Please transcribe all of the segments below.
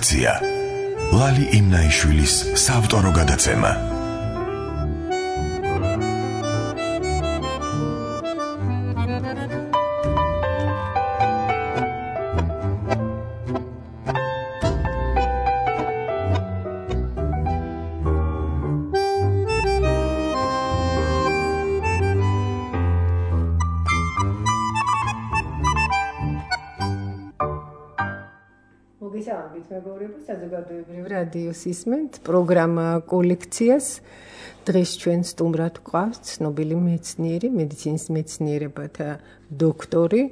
კოლექცია. ლალი იმნაიშვილის საავტორო გადაცემა. საზოგადოებრივ რადიოს ისმენთ პროგრამა კოლექციას. დღეს ჩვენ სტუმრად გვყავს ცნობილი მეცნიერი, მედიცინის მეცნიერებათა დოქტორი,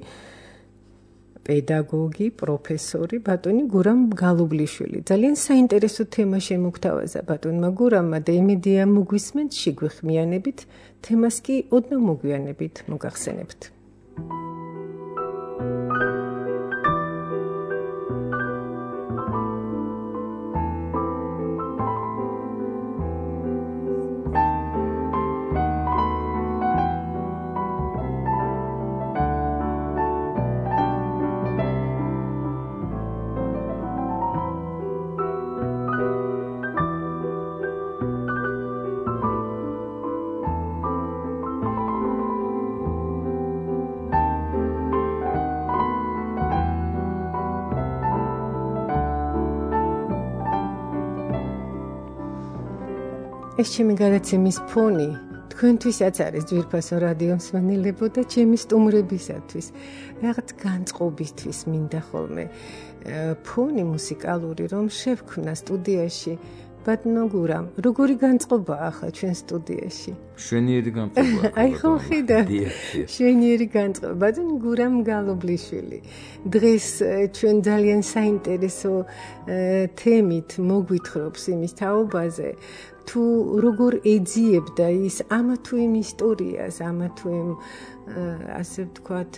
პედაგოგი, პროფესორი ბატონი გურამ გალუბლიშვილი. ძალიან საინტერესო თემა შემოგთავაზა ბატონმა გურამმა და იმედია მოგვისმენთ, შეგვიხმიანებით, თემას კი ოდნავ მოგვიანებით მოგახსენებთ. ეს ჩემი გადაცემის ფონი თქვენთვისაც არის ძვირფასო რადიო მსმენელებო და ჩემი სტუმრებისათვის რაღაც განწყობისთვის მინდა ხოლმე ფონი მუსიკალური რომ შევქმნა სტუდიაში ბატონო გურამ როგორი განწყობაა ახლა ჩვენ სტუდიაში შვენიერი განწყობა აი ხო ხედა შვენიერი განწყობა ბატონო გურამ გალუბლიშვილი დღეს ჩვენ ძალიან საინტერესო თემით მოგვითხრობს იმის თაობაზე თუ როგორ ეძიებდა ის ამა თუ იმ ისტორიას, ამა თუ იმ ასე ვთქვათ,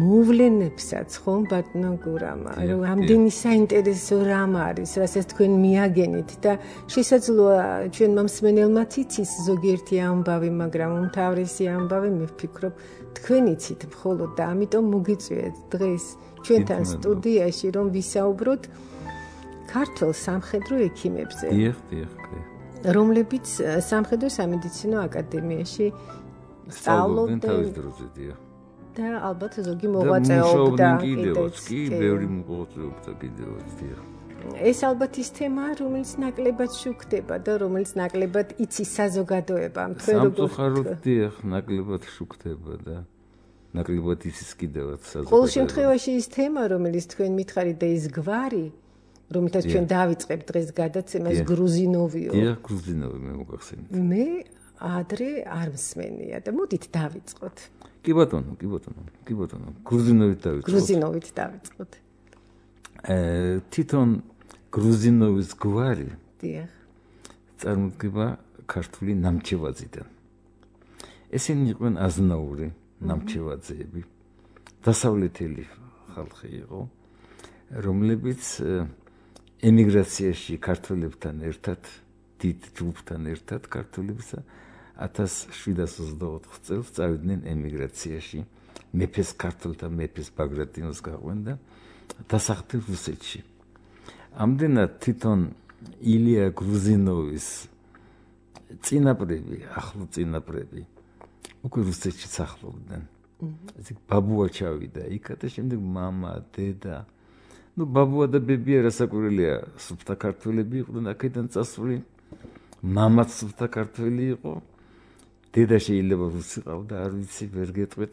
მოვლენებსაც ხომ ბატონო გურამა, რომ ამდენი საინტერესო რამ არის, რასაც თქვენ მიაგენით და შესაძლოა ჩვენმა მსმენელმაც იცის ზოგიერთი ამბავი, მაგრამ უმთავრესი ამბავი მე ვფიქრობ თქვენ იცით მხოლოდ და ამიტომ მოგიწვიეთ დღეს ჩვენთან სტუდიაში რომ ვისაუბროთ ქართულ სამხედრო ექიმებზე. დიახ. რომლებიც სამხედრო სამედიცინო აკადემიაში სწავლობდნენ თავის დროზე და ალბათ ზოგი მოღვაწეობდა კიდევაც კი ბევრი მოღვაწეობდა კიდევაც ეს ალბათ ის თემაა რომელიც ნაკლებად შუქდება და რომელიც ნაკლებად იცის საზოგადოებამ თქვენ როგორ სამწუხაროდ ნაკლებად შუქდება და ნაკლებად იცის კიდევაც საზოგადოება ყოველ შემთხვევაში ის თემა რომელიც თქვენ მითხარით და ის გვარი რომელთაც ჩვენ დავიწყებთ დღეს გადაცემას გრუზინოვიო. დიახ, გრუზინოვი მე მოგახსენეთ. მე ადრე არ მსმენია და მოდით დავიწყოთ. კი ბატონო. გრუზინოვით დავიწყოთ. თვითონ გრუზინოვის გვარი დიახ. წარმოდგება ქართული ნამჩევაძიდან. ესენი იყვნენ აზნაური ნამჩევაძეები. დასავლეთელი ხალხი იყო, რომლებიც ემიგრაციაში ქართველებთან ერთად, დიდ ჯგუფთან ერთად ქართველებსა 1724 წელს წავიდნენ ემიგრაციაში. მეფეს ქართველთა მეფეს ბაგრატიონს გაყვნენ და დასახლდნენ რუსეთში. ამდენად თვითონ ილია გრუზინოვის წინაპრები, ახლო წინაპრები უკვე რუსეთში სახლობდნენ. ესე ბაბუა ჩავიდა იქ და შემდეგ მამა, დედა ბაბუა და ბებია რასაკვირველია სუფთა ქართველები იყვნენ აქედან წასული მამაც სუფთა ქართველი იყო დედა შეიძლება რუსი ყავდა არ ვიცი ვერ გეტყვით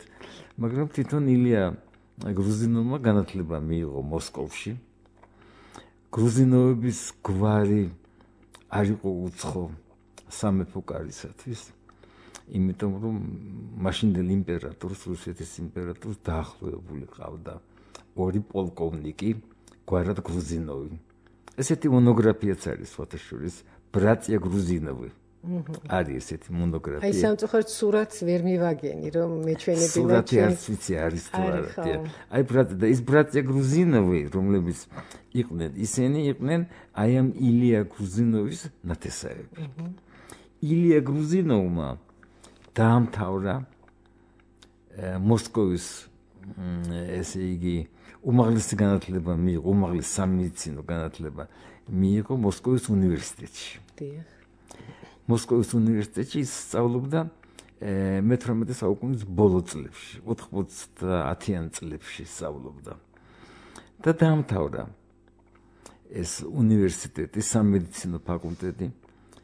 მაგრამ თვითონ ილია გრუზინოვმა განათლება მიიღო მოსკოვში გრუზინოვების გვარი არ იყო უცხო სამეფო კარისათვის იმიტომ რომ მაშინდელ იმპერატორს რუსეთის იმპერატორს დაახლოებული ყავდა ორი პოლკოვნიკი გვარად გრუზინოვი. ესეთი მონოგრაფიაც არის ფოტოშურის ბრატია გრუზინოვი. არის ესეთი მონოგრაფია. აი სამწუხაროდ სურათს ვერ მივაგენი რომ მეჩვენებინა სურათი არც ვიცი არის თუ არა. აი ის ბრატია გრუზინოვი რომლებიც იყვნენ ისინი იყვნენ აი ამ ილია გრუზინოვის ნათესავები. ილია გრუზინოვმა დაამთავრა მოსკოვის ესე იგი უმაღლესი განათლება მიიღო, უმაღლესი სამედიცინო განათლება მიიღო მოსკოვის უნივერსიტეტში. დიახ. მოსკოვის უნივერსიტეტში სწავლობდა მე-18 საუკუნის ბოლო წლებში, 90-იან წლებში სწავლობდა. და დაამთავრა ეს უნივერსიტეტი, სამედიცინო ფაკულტეტი,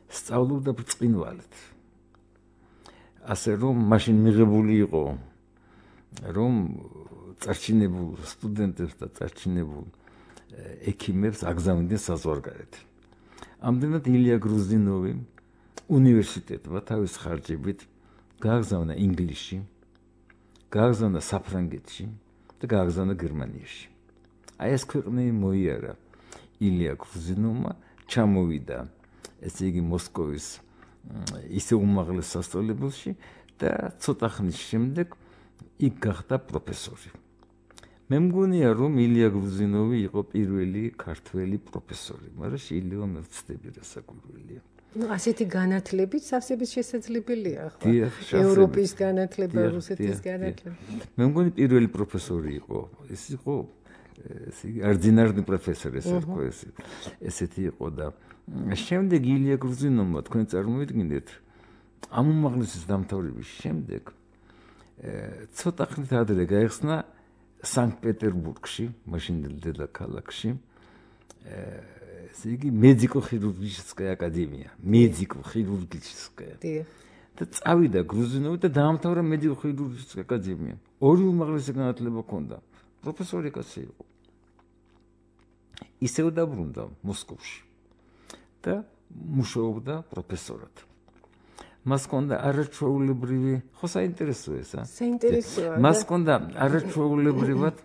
სწავლობდა ბრწყინვალედ. ასე რომ მაშინ მიღებული იყო რომ წარჩინებულ სტუდენტებს და წარჩინებულ ექიმებს აგზავნიდნენ საზღვარგარეთ. ამდენად ილია გრუზინოვი უნივერსიტეტმა თავის ხარჯებით გააგზავნა ინგლისში, გააგზავნა საფრანგეთში და გააგზავნა გერმანიაში. აი ეს ქვეყნები მოიარა ილია გრუზინოვმა, ჩამოვიდა ესე იგი მოსკოვის ისე უმაღლეს სასწავლებელში და ცოტა ხნის შემდეგ იქ გახდა პროფესორი. მე მგონია რომ ილია გრუზინოვი იყო პირველი ქართველი პროფესორი, მაგრამ შეიძლება მე ვცდები რასაკვირველია. ასეთი განათლებით სავსებით შესაძლებელია ხო? ევროპის განათლება, რუსეთის განათლება. მე მგონი პირველი პროფესორი იყო. ეს იყო არდინარდი პროფესორი, ესეთი იყო და შემდეგ ილია გრუზინოვმა თქვენ წარმოიდგინეთ ამ უმაღლესის დამთავრების შემდეგ ცოტა ხნით ადრე გაიხსნა სანქტ-პეტერბურგში, მაშინდელ დედაქალაქში, ესე იგი მედიკო-ხირურგическая აკადემია, მედიკო-ხირურგическая. და წავიდა გრუზინოვი და დაამთავრა მედიკო-ხირურგическая აკადემია. ორი უმაღლესი განათლება ჰქონდა. პროფესორი კაცი იყო. ისევ დაბრუნდა მოსკოვში და მუშაობდა პროფესორად. მას ჰქონდა არაჩვეულებრივი, ხო საინტერესოა ეს, საინტერესოა. მას ჰქონდა არაჩვეულებრივად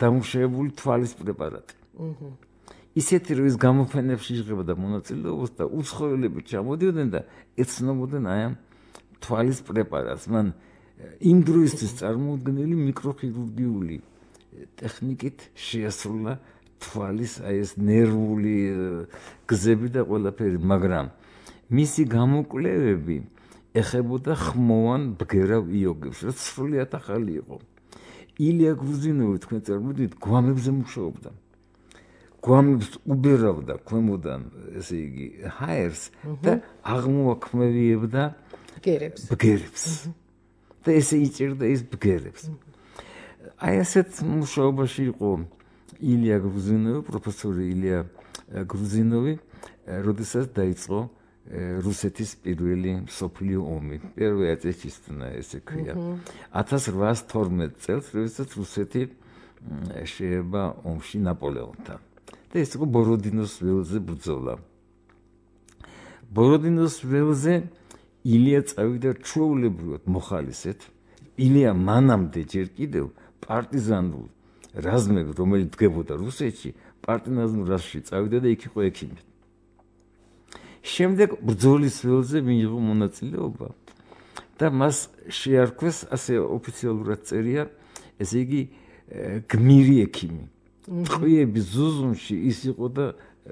დამუშავებული თვალის პრეპარატი. ისეთი რომ ის გამოფენებში იღებდა მონაწილეობას და უცხოელები ჩამოდიოდნენ და ეცნობოდნენ აი ამ თვალის პრეპარატს. მან იმ დროისთვის წარმოუდგენელი მიკროხირურგიული ტექნიკით შეასრულა თვალის აი ეს ნერვული გზები და ყველაფერი, მაგრამ მისი გამოკვლევები ეხებოდა ხმოვან ბგერავ იოგებს, რაც სრულიად ახალი იყო. ილია გრუზინოვი თქვენ წარმოიდგინეთ, გვამებზე მუშაობდა. გვამებს უბერავდა ქვემოდან, ესე იგი, ჰაერს და აღმოაქმევიებდა ბგერებს. და ესე იჭერდა ის ბგერებს. აი ასეთ მუშაობაში იყო ილია გრუზინოვი, პროფესორი ილია გრუზინოვი, როდესაც დაიწყო რუსეთის პირველი მსოფლიო ომი. პირველი აწესწნა ესე ქვია. 1812 წელს, როდესაც რუსეთი შეება ომში ნაპოლეონთან. და ეს იყო ბოროდინოს ველზე ბრძოლა. ბოროდინოს ველზე ილია წავიდა ჩვეულებრივად მოხალისედ. ილია მანამდე ჯერ კიდევ პარტიზანულ რაზმები, რომელიც დგებოდა რუსეთში, პარტიზანულ რაზმში წავიდა და იქ იყო ექიმი. შემდეგ ბრძოლის ველზე მიიღო მონაწილეობა და მას შეარქვეს, ასე ოფიციალურად წერია, ესე იგი გმირი ექიმი. ტყვიების ზუზუმში ის იყო და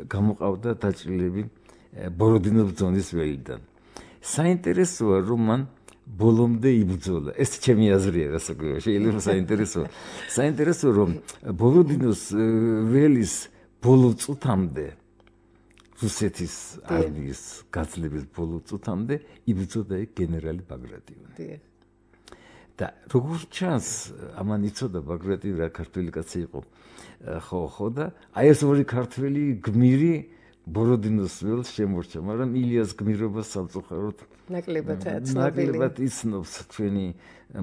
გამოყავდა დაჭრილები ბოროდინოს ბრძოლის ველიდან. საინტერესოა, რომ მან ბოლომდე იბრძოლა. ეს ჩემი აზრია, რასაკვირველია, შეიძლება საინტერესოა. საინტერესოა, რომ ბოროდინოს ველის ბოლო წუთამდე რუსეთის არმიის გაძლების ბოლო წუთამდე იბრძოდა გენერალი ბაგრატიონი. და როგორც ჩანს, ამან იცოდა ბაგრატიონი რა ქართველი კაცი იყო. ხო და აი ეს ორი ქართველი გმირი ბოროდინოს ველს შემორჩა, მაგრამ ილიას გმირობას სამწუხაროდ ნაკლებად იცნობს ჩვენი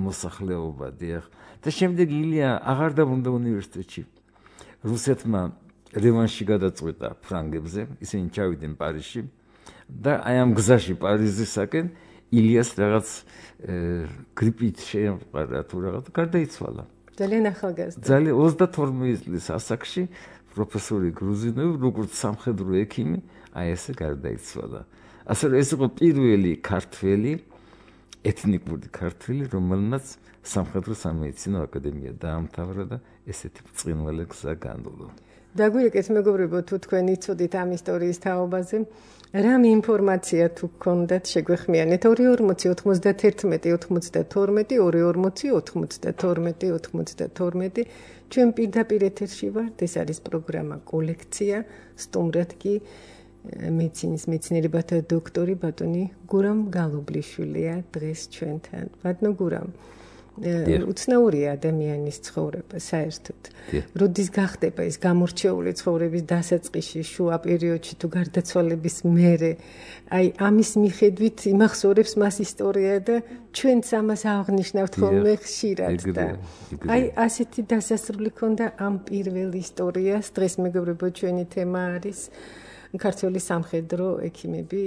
მოსახლეობა, დიახ. და შემდეგ ილია აღარ დაბრუნდა უნივერსიტეტში. რუსეთმა რევანში გადაწყვეტა ფრანგებზე, ისინი ჩავიდნენ პარიზში და აი ამ გზაში პარიზისაკენ ილიას რაღაც გრიპით შეემყარა თუ რაღაც გარდაიცვალა. ძალიან ახალგაზრდა. ძალიან 32 წლის ასაკში პროფესორი გრუზინოვი, როგორც სამხედრო ექიმი, აი ესე გარდაიცვალა. ასე რომ ეს იყო პირველი ქართველი, ეთნიკური ქართველი, რომელმაც სამხედრო სამედიცინო აკადემია დაამთავრა და ესეთი ბრწყინვალე გზა განვლო. დაგვირეკეთ მეგობრებო, თუ თქვენ იცოდით ამ ისტორიის თაობაზე, რამე ინფორმაცია თუ გქონდათ შეგვეხმიანეთ 240 91 92 240 92 92 ჩვენ პირდაპირ ეთერში ვართ, ეს არის პროგრამა კოლექცია, სტუმრად კი მედიცინის მეცნიერებათა დოქტორი ბატონი გურამ გალობლიშვილია დღეს ჩვენთან. ბატონო გურამ, უცნაურია ადამიანის ცხოვრება საერთოდ. როდის გახდება ის გამორჩეული ცხოვრების დასაწყისში, შუა პერიოდში თუ გარდაცვალების მერე, აი ამის მიხედვით იმახსოვრებს მას ისტორია და ჩვენც ამას აღნიშნავთ ხოლმე ხშირად და აი ასეთი დასასრული ქონდა ამ პირველ ისტორიას. დღეს მეგობრებო, ჩვენი თემა არის ქართველი სამხედრო ექიმები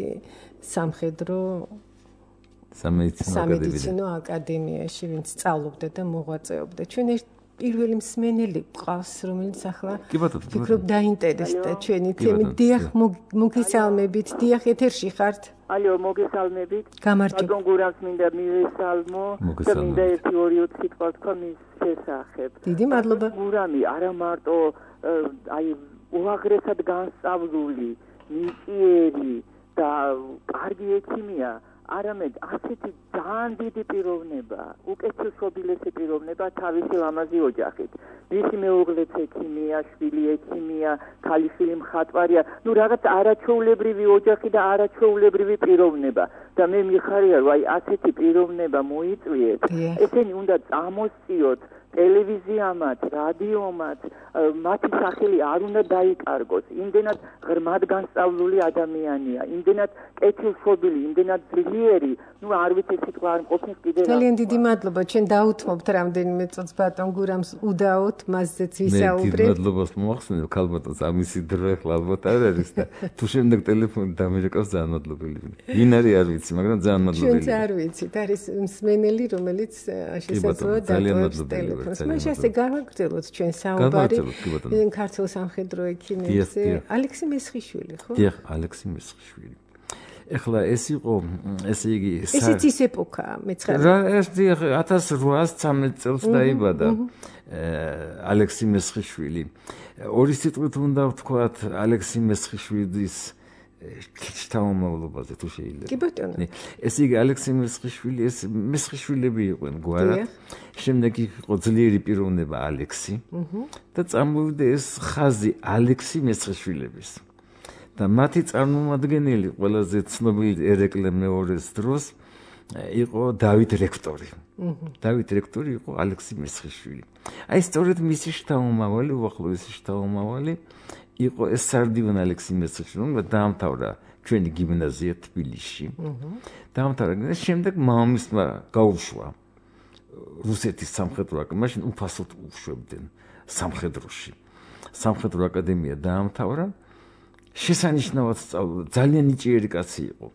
სამხედრო სამედიცინო აკადემიაში, ვინც სწავლობდა და მოღვაწეობდა. ჩვენ პირველი მსმენელი გყავს, რომელიც ახლა ვფიქრობ დაინტერესდა ჩვენი თემით. დიახ, მოგესალმებით. დიახ, ეთერში ხართ? ალო, მოგესალმებით. გამარჯობა. ბატონ გურამს მინდა მივესალმო და მინდა 1-2 სიტყვა თქვა მის შესახებ. დიდი მადლობა. გურამი არა მარტო აი უაღრესად განსწავლული, ნიჭიერი და კარგი ექიმია, არამედ ასეთი ძალიან დიდი პიროვნება, უკეთილშობილესი პიროვნება თავისი ლამაზი ოჯახით. მისი მეუღლეც ექიმია, შვილი ექიმია, ქალიშვილი მხატვარია, ნუ რაღაც არაჩვეულებრივი ოჯახი და არაჩვეულებრივი პიროვნება. და მე მიხარია, რომ აი ასეთი პიროვნება მოიწვიეთ. ესენი უნდა წამოსწიოთ ტელევიზიამაც, რადიომაც, მათი სახელი არ უნდა დაიკარგოს. იმდენად ღრმად განსწავლული ადამიანია, იმდენად კეთილშობილი, იმდენად ძლიერი, ნუ არ ვიცი სიტყვა არ მყოფნის კიდე. ძალიან დიდი მადლობა. ჩვენ დაუთმობთ რამდენიმე წუთს ბატონ გურამს უდაოთ, მასზეც ვისაუბრეთ. მე მადლობას მოახსენებ ქალბატონს, ამისი დრო ახლა ალბათ არ არის და თუ შემდეგ ტელეფონი დამირეკავს ძალიან მადლობელი. ვინ არის არ ვიცი, მაგრამ ძალიან მადლობელი. ჩვენც არ ვიცით, არის მსმენელი, რომელიც შესაძლოა დატოვებს ტელეფონს. მას ასე გავაგრძელოთ ჩვენ საუბარი ქართულ სამხედრო ექიმებზე. ალექსი მესხიშვილი, ხო? დიახ, ალექსი მესხიშვილი. ეხლა ეს იყო, ესე იგი, ესეც ის ეპოქაა, მეცხრე. რა, ეს დიახ 1813 წელს დაიბადა ალექსი მესხიშვილი. ორი სიტყვით უნდა ვთქვათ ალექსი მესხიშვილის შთამომავლობაზე თუ შეიძლება. კი ბატონო. ესე იგი ალექსი მესხიშვილი, ეს მესხიშვილები იყვნენ გვარად. შემდეგ იყო ძლიერი პიროვნება ალექსი და წამოვიდა ეს ხაზი ალექსი მესხიშვილების. და მათი წარმომადგენელი ყველაზე ცნობილი ერეკლე მეორეს დროს იყო დავით რექტორი. დავით რექტორი იყო ალექსი მესხიშვილი. აი სწორედ მისი შთამომავალი, უახლოესი შთამომავალი იყო ეს სარდიონ ალექსი მესხიშვილი, რომელიც დაამთავრა ჩვენი გიმნაზია თბილისში. დაამთავრა და შემდეგ მამამისმა გაუშვა რუსეთის სამხედრო აკადემია, მაშინ უფასოდ უშვებდნენ სამხედროში. სამხედრო აკადემია დაამთავრა. შესანიშნავად სწავლობდა, ძალიან ნიჭიერი კაცი იყო.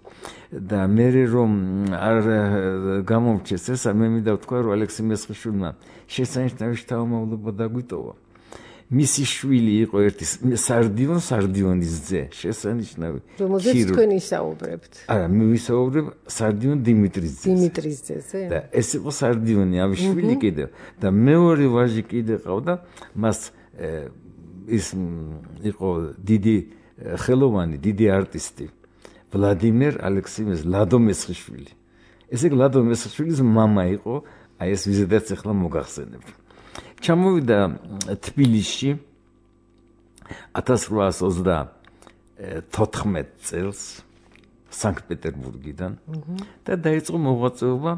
და მე რომ არ გამომრჩეს ესა, მე მინდა ვთქვა, რომ ალექსი მესხიშვილმა შესანიშნავი შთამომავლობა დაგვიტოვა. მისი შვილი იყო ერთი სარდიონის ძე, შესანიშნავი. რომელზეც თქვენ ისაუბრებთ. არა, მე ვისაუბრებ სარდიონ დიმიტრის ძეზე. დიმიტრის ძეზე. და ეს იყო სარდიონი ამის შვილი კიდევ. და მეორე ვაჟი კიდე ყავდა, მას ის იყო დიდი ხელოვანი, დიდი არტისტი ვლადიმერ ალექსიმეს ლადო მესხიშვილი. ესე იგი ლადო მესხიშვილის მამა იყო, აი ეს ვიზედაც ახლა მოგახსენებთ. ჩამოვიდა თბილისში 1834 წელს სანქტ-პეტერბურგიდან და დაიწყო მოღვაწეობა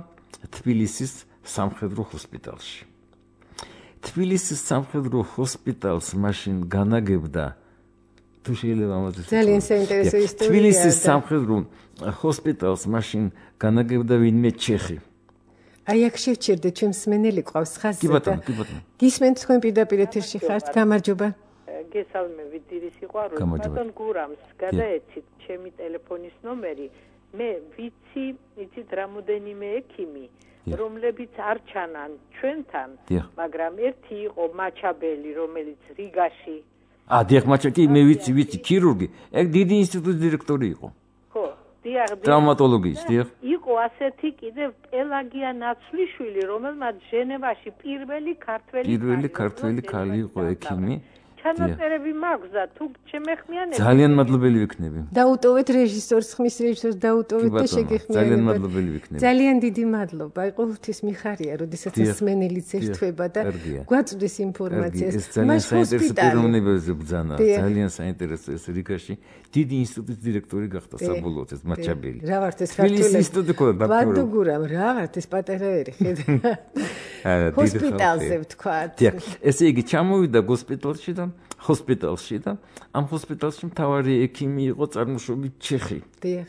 თბილისის სამხედრო ჰოსპიტალში. თბილისის სამხედრო ჰოსპიტალს მაშინ განაგებდა თუ შეიძლება ამაზე ძალიან საინტერესო ისტორია. თბილისის სამხედრო ჰოსპიტალს მაშინ განაგებდა ვინმე ჩეხი. აი აქ შევჩერდეთ, ჩვენ მსმენელი ყავს ხაზზე. კი ბატონო, კი ბატონო. გისმენთ თქვენ პირდაპირ ეთერში ხართ, გამარჯობა. გესალმებით, დიდი სიყვარული. ბატონ გურამს გადაეცით ჩემი ტელეფონის ნომერი. მე ვიცით რამოდენიმე ექიმი, რომლებიც არ ჩანან ჩვენთან, მაგრამ ერთი იყო მაჩაბელი, რომელიც რიგაში დიახ, მაჩაკი, მე ვიცი, ქირურგი. ეგ დიდი ინსტიტუტის დირექტორი იყო. ხო, დიახ. ტრავმატოლოგიის, დიახ. იყო ასეთი კიდევ პელაგია ნაცვლიშვილი, რომელმაც ჟენევაში პირველი ქართველი ქალი იყო ექიმი. ჩანაწერები მაქვს და თუ შემეხმიანებ ძალიან მადლობელი ვიქნები. დაუტოვეთ რეჟისორს, ხმის რეჟისორს დაუტოვეთ და შეგეხმიანებათ. ძალიან მადლობელი ვიქნები. ძალიან დიდი მადლობა. ყოველთვის მიხარია, როდესაც მსმენელიც ერთვება და გვაწვდის ინფორმაციას. ეს ძალიან საინტერესო პიროვნებებზე ბრძანა. ძალიან საინტერესო ეს რიგაში დიდი ინსტიტუტის დირექტორი გახდა საბოლოოდ ეს მაჩაბელი. რა ვართ ეს ქართველები? ინსტიტუტი ყოდა ბატო გურამ, რა ვართ ეს პატარა ერი ხედა. ჰოსპიტალზე ვთქვათ. ესე იგი ჩამოვიდა ჰოსპიტალში და ამ ჰოსპიტალში მთავარი ექიმი იყო წარმოშობით ჩეხი. დიახ.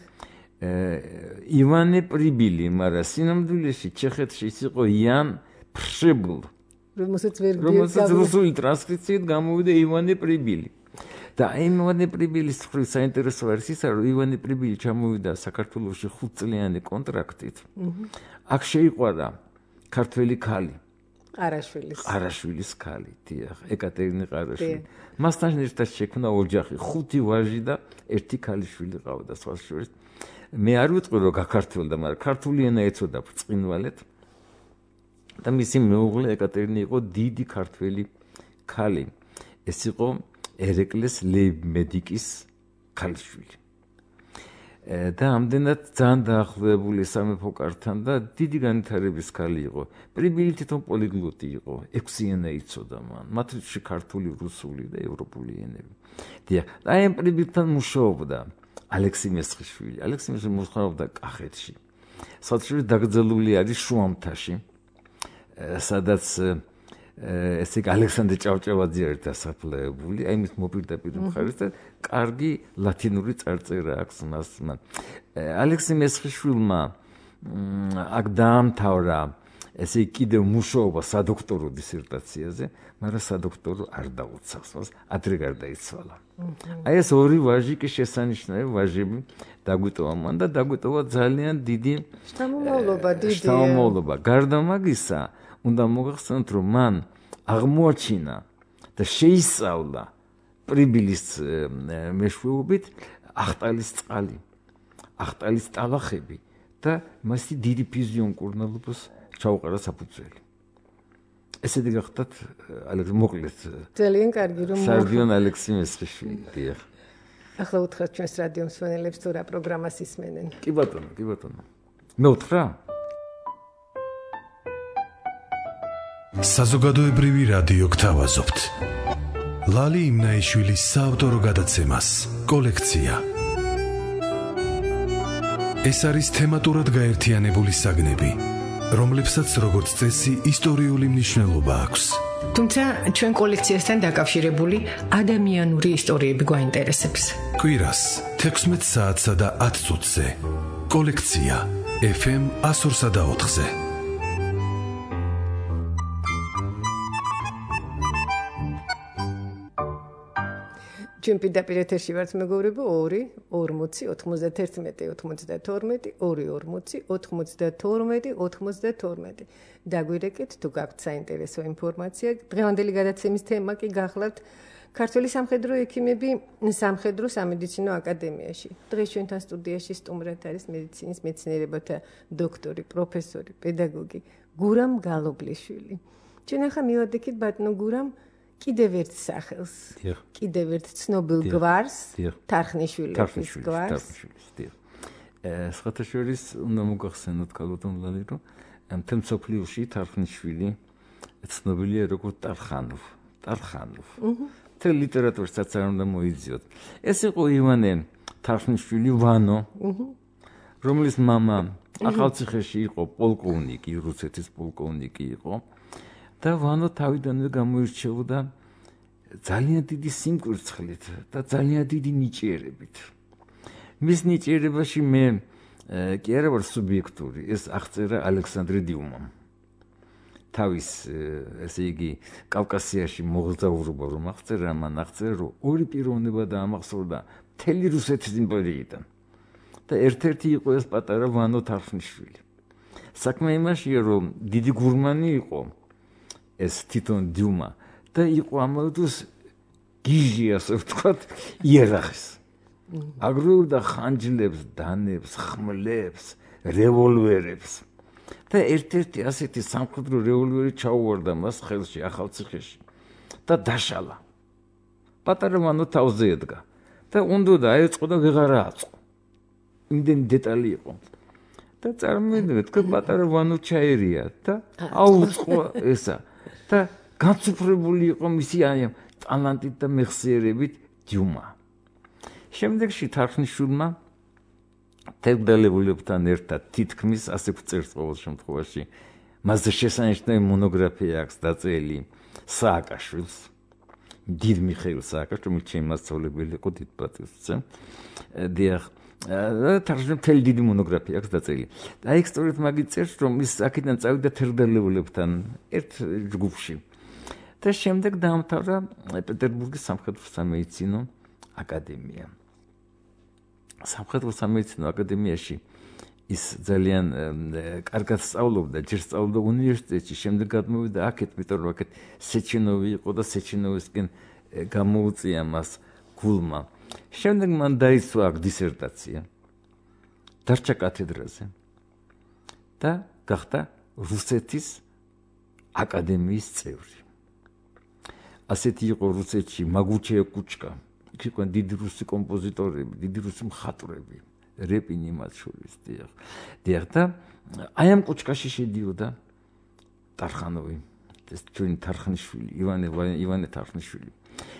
ივანე პრიბილი, მაგრამ სინამდვილეში ჩეხეთში ის იყო იან ფრშებულ. რომელსაც ვერ რომელსაც რუსული ტრანსკრიფციით გამოვიდა ივანე პრიბილი. და ივანე პრიბილის მხრივ საინტერესო არის ის, რომ ივანე პრიბილი ჩამოვიდა საქართველოში 5 წლიანი კონტრაქტით. აქ შეიყვარა ქართველი ქალი. ყარაშვილის ქალი, დიახ, ეკატერინე ყარაშვილი. მასთან ერთად შექმნა ოჯახი, 5 ვაჟი და 1 ქალიშვილი ყავდა სხვა შორის. მე არ ვიტყვი რომ გაქართველდა, მაგრამ ქართული ენა ეცოდა ბრწყინვალედ. და მისი მეუღლე ეკატერინე იყო დიდი ქართველი ქალი. ეს იყო ერეკლეს ლეიბმედიკის ქალიშვილი. და ამდენად ძალიან დაახლოებული სამეფო კართან და დიდი განვითარების ქალი იყო. პრიბილი თვითონ პოლიგლოტი იყო, 6 ენა იცოდა მან, მათში ქართული, რუსული და ევროპული ენები. დიახ, და ამ პრიბილთან მუშაობდა ალექსი მესხიშვილი. ალექსი მესხიშვილი მუშაობდა კახეთში. სადაც დაკრძალული არის შუამთაში, სადაც ესე იგი ალექსანდრე ჭავჭავაძე არის დასაფლავებული, აი მის მოპირდაპირ მხარეს და კარგი ლათინური წარწერა აქვს მას. ალექსი მესხიშვილმა აქ დაამთავრა ესე იგი კიდევ მუშაობა სადოქტორო დისერტაციაზე, მაგრამ სადოქტორო არ დაუცავს, მას ადრე გარდაიცვალა. აი ეს ორი ვაჟი კი შესანიშნავი ვაჟები დაგვიტოვა მან და დაგვიტოვა ძალიან დიდი შთამომავლობა. გარდა მაგისა, უნდა მოგახსენოთ, რომ მან აღმოაჩინა და შეისწავლა პრიბილის მეშვეობით ახტალის წყალი, ახტალის ტალახები და მასი დიდი ფიზიონ-კურნალობას ჩაუყარა საფუძველი. ესეთი გახდათ მოკლედ ძალიან კარგი რომ სარდიონ ალექსი მესხიშვილი. დიახ. ახლა უთხრათ ჩვენს რადიო მსმენელებს თუ რა პროგრამას ისმენენ. კი ბატონო. მე უთხრა? საზოგადოებრივი რადიო გთავაზობთ. ლალი იმნაიშვილის საავტორო გადაცემას კოლექცია. ეს არის თემატურად გაერთიანებული საგნები, რომლებსაც როგორც წესი ისტორიული მნიშვნელობა აქვს. თუმცა ჩვენ კოლექციასთან დაკავშირებული ადამიანური ისტორიები გვაინტერესებს. კვირას 16 საათსა და 10 წუთზე. კოლექცია FM 102.4-ზე. ჩვენ პირდაპირ ეთერში ვართ მეგობრებო 2-40-92-92. დაგვირეკეთ თუ გაქვთ საინტერესო ინფორმაცია. დღევანდელი გადაცემის თემა კი გახლავთ ქართული სამხედრო ექიმები სამხედრო სამედიცინო აკადემიაში. დღეს ჩვენთან სტუდიაში სტუმრად არის მედიცინის მეცნიერებათა დოქტორი, პროფესორი, პედაგოგი გურამ გალობლიშვილი. ჩვენ ახლა მივადექით ბატონო გურამ კიდევ ერთ სახელს, კიდევ ერთ ცნობილ გვარს, თარხნიშვილის გვარს. სხვათა შორის უნდა მოგახსენოთ ქალბატონლალი, რომ მთელ მსოფლიოში თარხნიშვილი ცნობილია როგორც ტარხანოვ. მთელ ლიტერატურასაც არ უნდა მოიძიოთ. ეს იყო ივანე თარხნიშვილი ვანო, რომლის მამა ახალციხეში იყო პოლკოვნიკი, რუსეთის პოლკოვნიკი იყო. და ვანო თავიდანვე გამოირჩეოდა ძალიან დიდი სიმკვირცხლით და ძალიან დიდი ნიჭიერებით. მის ნიჭიერებაში მე კი არა ვარ სუბიექტური, ეს აღწერა ალექსანდრე დიუმამ. თავის ესე იგი კავკასიაში მოგზაურობა რომ აღწერა, მან აღწერა, რომ ორი პიროვნება დაამახსოვრდა მთელი რუსეთის იმპერიიდან. და ერთ-ერთი იყო ეს პატარა ვანო თარხნიშვილი. საქმე იმაშია, რომ დიდი გურმანი იყო ეს თვითონ დიუმა და იყო ამავე დროს გიჟი, ასე ვთქვათ, იერახის. აგროვდა ხანჯლებს, დანებს, ხმლებს, რევოლვერებს. და ერთ-ერთი ასეთი სამხედრო რევოლვერი ჩაუვარდა მას ხელში ახალციხეში და დაშალა. პატარა ვანო თავზე ედგა და უნდა დაეწყო და ვეღარა აწყო. იმდენი დეტალი იყო. და წარმოიდგინეთ, თქვენ პატარა ვანო ჩაერია და აუწყო ესა და გაცუფრებული იყო მისი ტალანტით და მეხსიერებით დიუმა. შემდეგში თარხნიშვილმა თერგდალებულებთან ერთად თითქმის ასე წერს ყოველ შემთხვევაში მასზე შესანიშნავი მონოგრაფია აქვს დაწერილი სააკაშვილს, დიდ მიხეილ სააკაშვილს, რომელიც ჩემი მასწავლებელი იყო, დიდ პატივს ვცემ. დიახ, თარგმნილი მთელი დიდი მონოგრაფია აქვს დაწერილი. და აი სწორედ მაგით წერს, რომ ის აქედან წავიდა თერგდალებულებთან ერთ ჯგუფში. და შემდეგ დაამთავრა პეტერბურგის სამხედრო სამედიცინო აკადემია. სამხედრო სამედიცინო აკადემიაში ის ძალიან კარგად სწავლობდა, ჯერ სწავლობდა უნივერსიტეტში, შემდეგ გადმოვიდა აქეთ, იმიტომ რომ აქეთ სეჩენოვი იყო და სეჩენოვისკენ გამოუწია მას გულმა. შემდეგ მან დაიცვა აქ დისერტაცია, დარჩა კათედრაზე და გახდა რუსეთის აკადემიის წევრი. ასეთი იყო რუსეთში მაგუჩე კუჩკა, იქ იყვნენ დიდი რუსი კომპოზიტორები, დიდი რუსი მხატვრები, რეპინი მათ შორის, დიახ და აი ამ კუჩკაში შედიოდა ტარხანოვი, ეს ჩვენი თარხნიშვილი, ივანე თარხნიშვილი.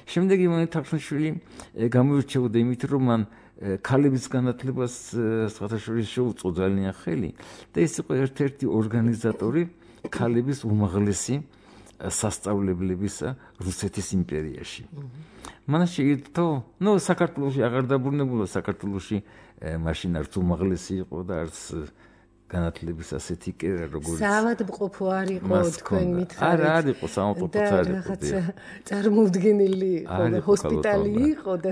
შემდეგ ივანე თარხნიშვილი გამოირჩეოდა იმით, რომ მან ქალების განათლებას სხვათა შორის შეუწყო ძალიან ხელი და ეს იყო ერთ-ერთი ორგანიზატორი ქალების უმაღლესი სასწავლებლებისა რუსეთის იმპერიაში. მან შეირთო, საქართველოში აღარ დაბრუნებულა, საქართველოში მაშინ არც უმაღლესი იყო და არც განათლების ასეთი კერა როგორიც საავადმყოფო არ იყო თქვენ მითხარით. არ იყო საავადმყოფოც არ იყო. რაღაცა წარმოუდგენელი იყო და ჰოსპიტალი იყო და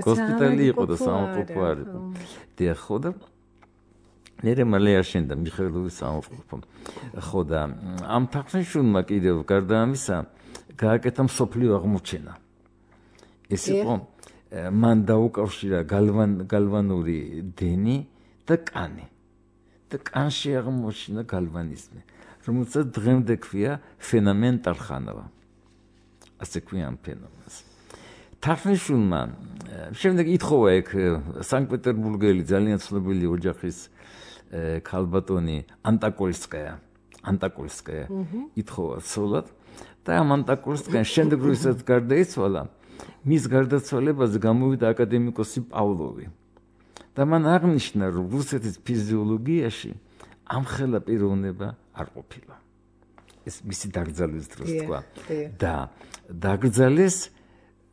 საავადმყოფო არ იყო. დიახ, ხო და ნერე მალე აშენდა მიხეილოვის საავადმყოფო. ხო და ამ თარხნიშვილმა კიდევ გარდა ამისა გააკეთა მსოფლიო აღმოჩენა. ეს იყო მან დაუკავშირა გალვანური დენი და კანი. და კანში აღმოჩნდა გალვანიზმი, რომელსაც დღემდე ქვია ფენომენ ტარხანოვა. ასე ქვია ამ ფენომენს. თარხნიშვილმა შემდეგ ითხოვა ეგ სანქტ-პეტერბურგელი ძალიან ცნობილი ოჯახის ქალბატონი ანტაკოლსკაია ითხოვა ცოლად და ამ ანტაკოლსკაიან შემდეგ როდესაც გარდაიცვალა, მის გარდაცვალებაზე გამოვიდა აკადემიკოსი პავლოვი. და მან აღნიშნა, რომ რუსეთის ფიზიოლოგიაში ამხელა პიროვნება არ ყოფილა. ეს მისი დაკრძალვის დროს თქვა. და დაკრძალეს,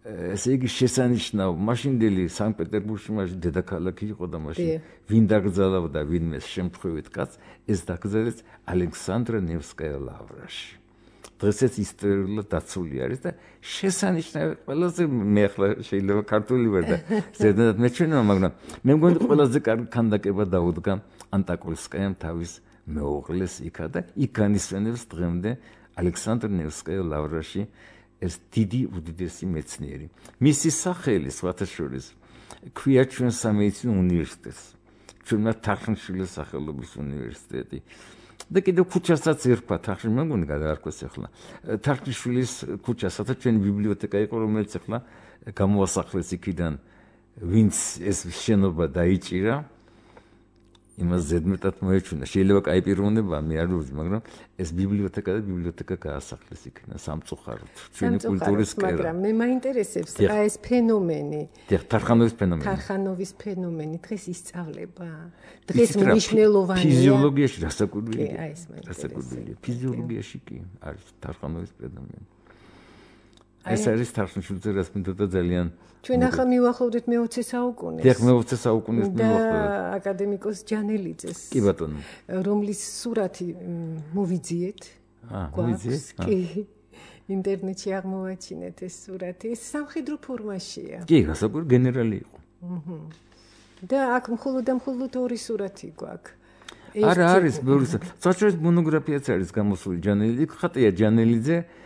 ესე იგი შესანიშნავ მაშინდელი სანქტ-პეტერბურგში მაშინ დედაქალაქი იყო და მაშინ ვინ დაკრძალავდა ვინმეს შემთხვევით კაც, ეს დაკრძალეს ალექსანდრა ნევსკაია ლავრაში. დღესაც ისტორიულად დაცული არის და შესანიშნავი ყველაზე მე ახლა შეიძლება ქართული ვერ და ზედმეტად მეჩვენება, მაგრამ მე მგონი ყველაზე კარგი ქანდაკება დაუდგა ანტაკოლსკაიამ თავის მეუღლეს იქა და იქ განისვენებს დღემდე ალექსანდრა ნევსკაია ლავრაში ეს დიდი უდიდესი მეცნიერი. მისი სახელი სხვათა შორის ქვია ჩვენ სამედიცინო უნივერსიტეტს, ჩვენმა თარხნიშვილის სახელობის უნივერსიტეტი. და კიდევ ქუჩასაც ერქვა თარხნიშვილის, მე მგონი გადაარქვეს ახლა თარხნიშვილის ქუჩასაც, ჩვენი ბიბლიოთეკა იყო, რომელიც ახლა გამოასახლეს იქიდან, ვინც ეს შენობა დაიჭირა, იმას ზედმეტად მოეჩვენა. შეიძლება კაი პიროვნებაა, მე არ ვიცი, მაგრამ ეს ბიბლიოთეკა გაასახლეს იქიდან სამწუხაროდ. ჩვენი კულტურის კერა. მაგრამ მე მაინტერესებს ეს ფენომენი. თარხანოვის ფენომენი დღეს ისწავლება. დღეს მნიშვნელოვანია. ფიზიოლოგიაში რასაკვირველია. ფიზიოლოგიაში კი არის თარხანოვის ფენომენი. ეს არის თარხნიშვილზე რაც მინდოდა ძალიან ჩვენ ახლა მივახლოვდით მე-20 საუკუნეს. დიახ, მე-20 საუკუნეს მივახლოვდით. და აკადემიკოს ჯანელიძეს. კი ბატონო. რომლის სურათი მოვიძიეთ. მოვიძიეთ? კი. ინტერნეტში აღმოვაჩინეთ ეს სურათი. ეს სამხედრო ფორმაშია. კი, გასაგები გენერალი იყო. და აქ მხოლოდ ორი სურათი გვაქვს. არა არის ბევრი. საერთოდ მონოგრაფიაც არის გამოსული ჯანელიძე. ხატია ჯანელიძე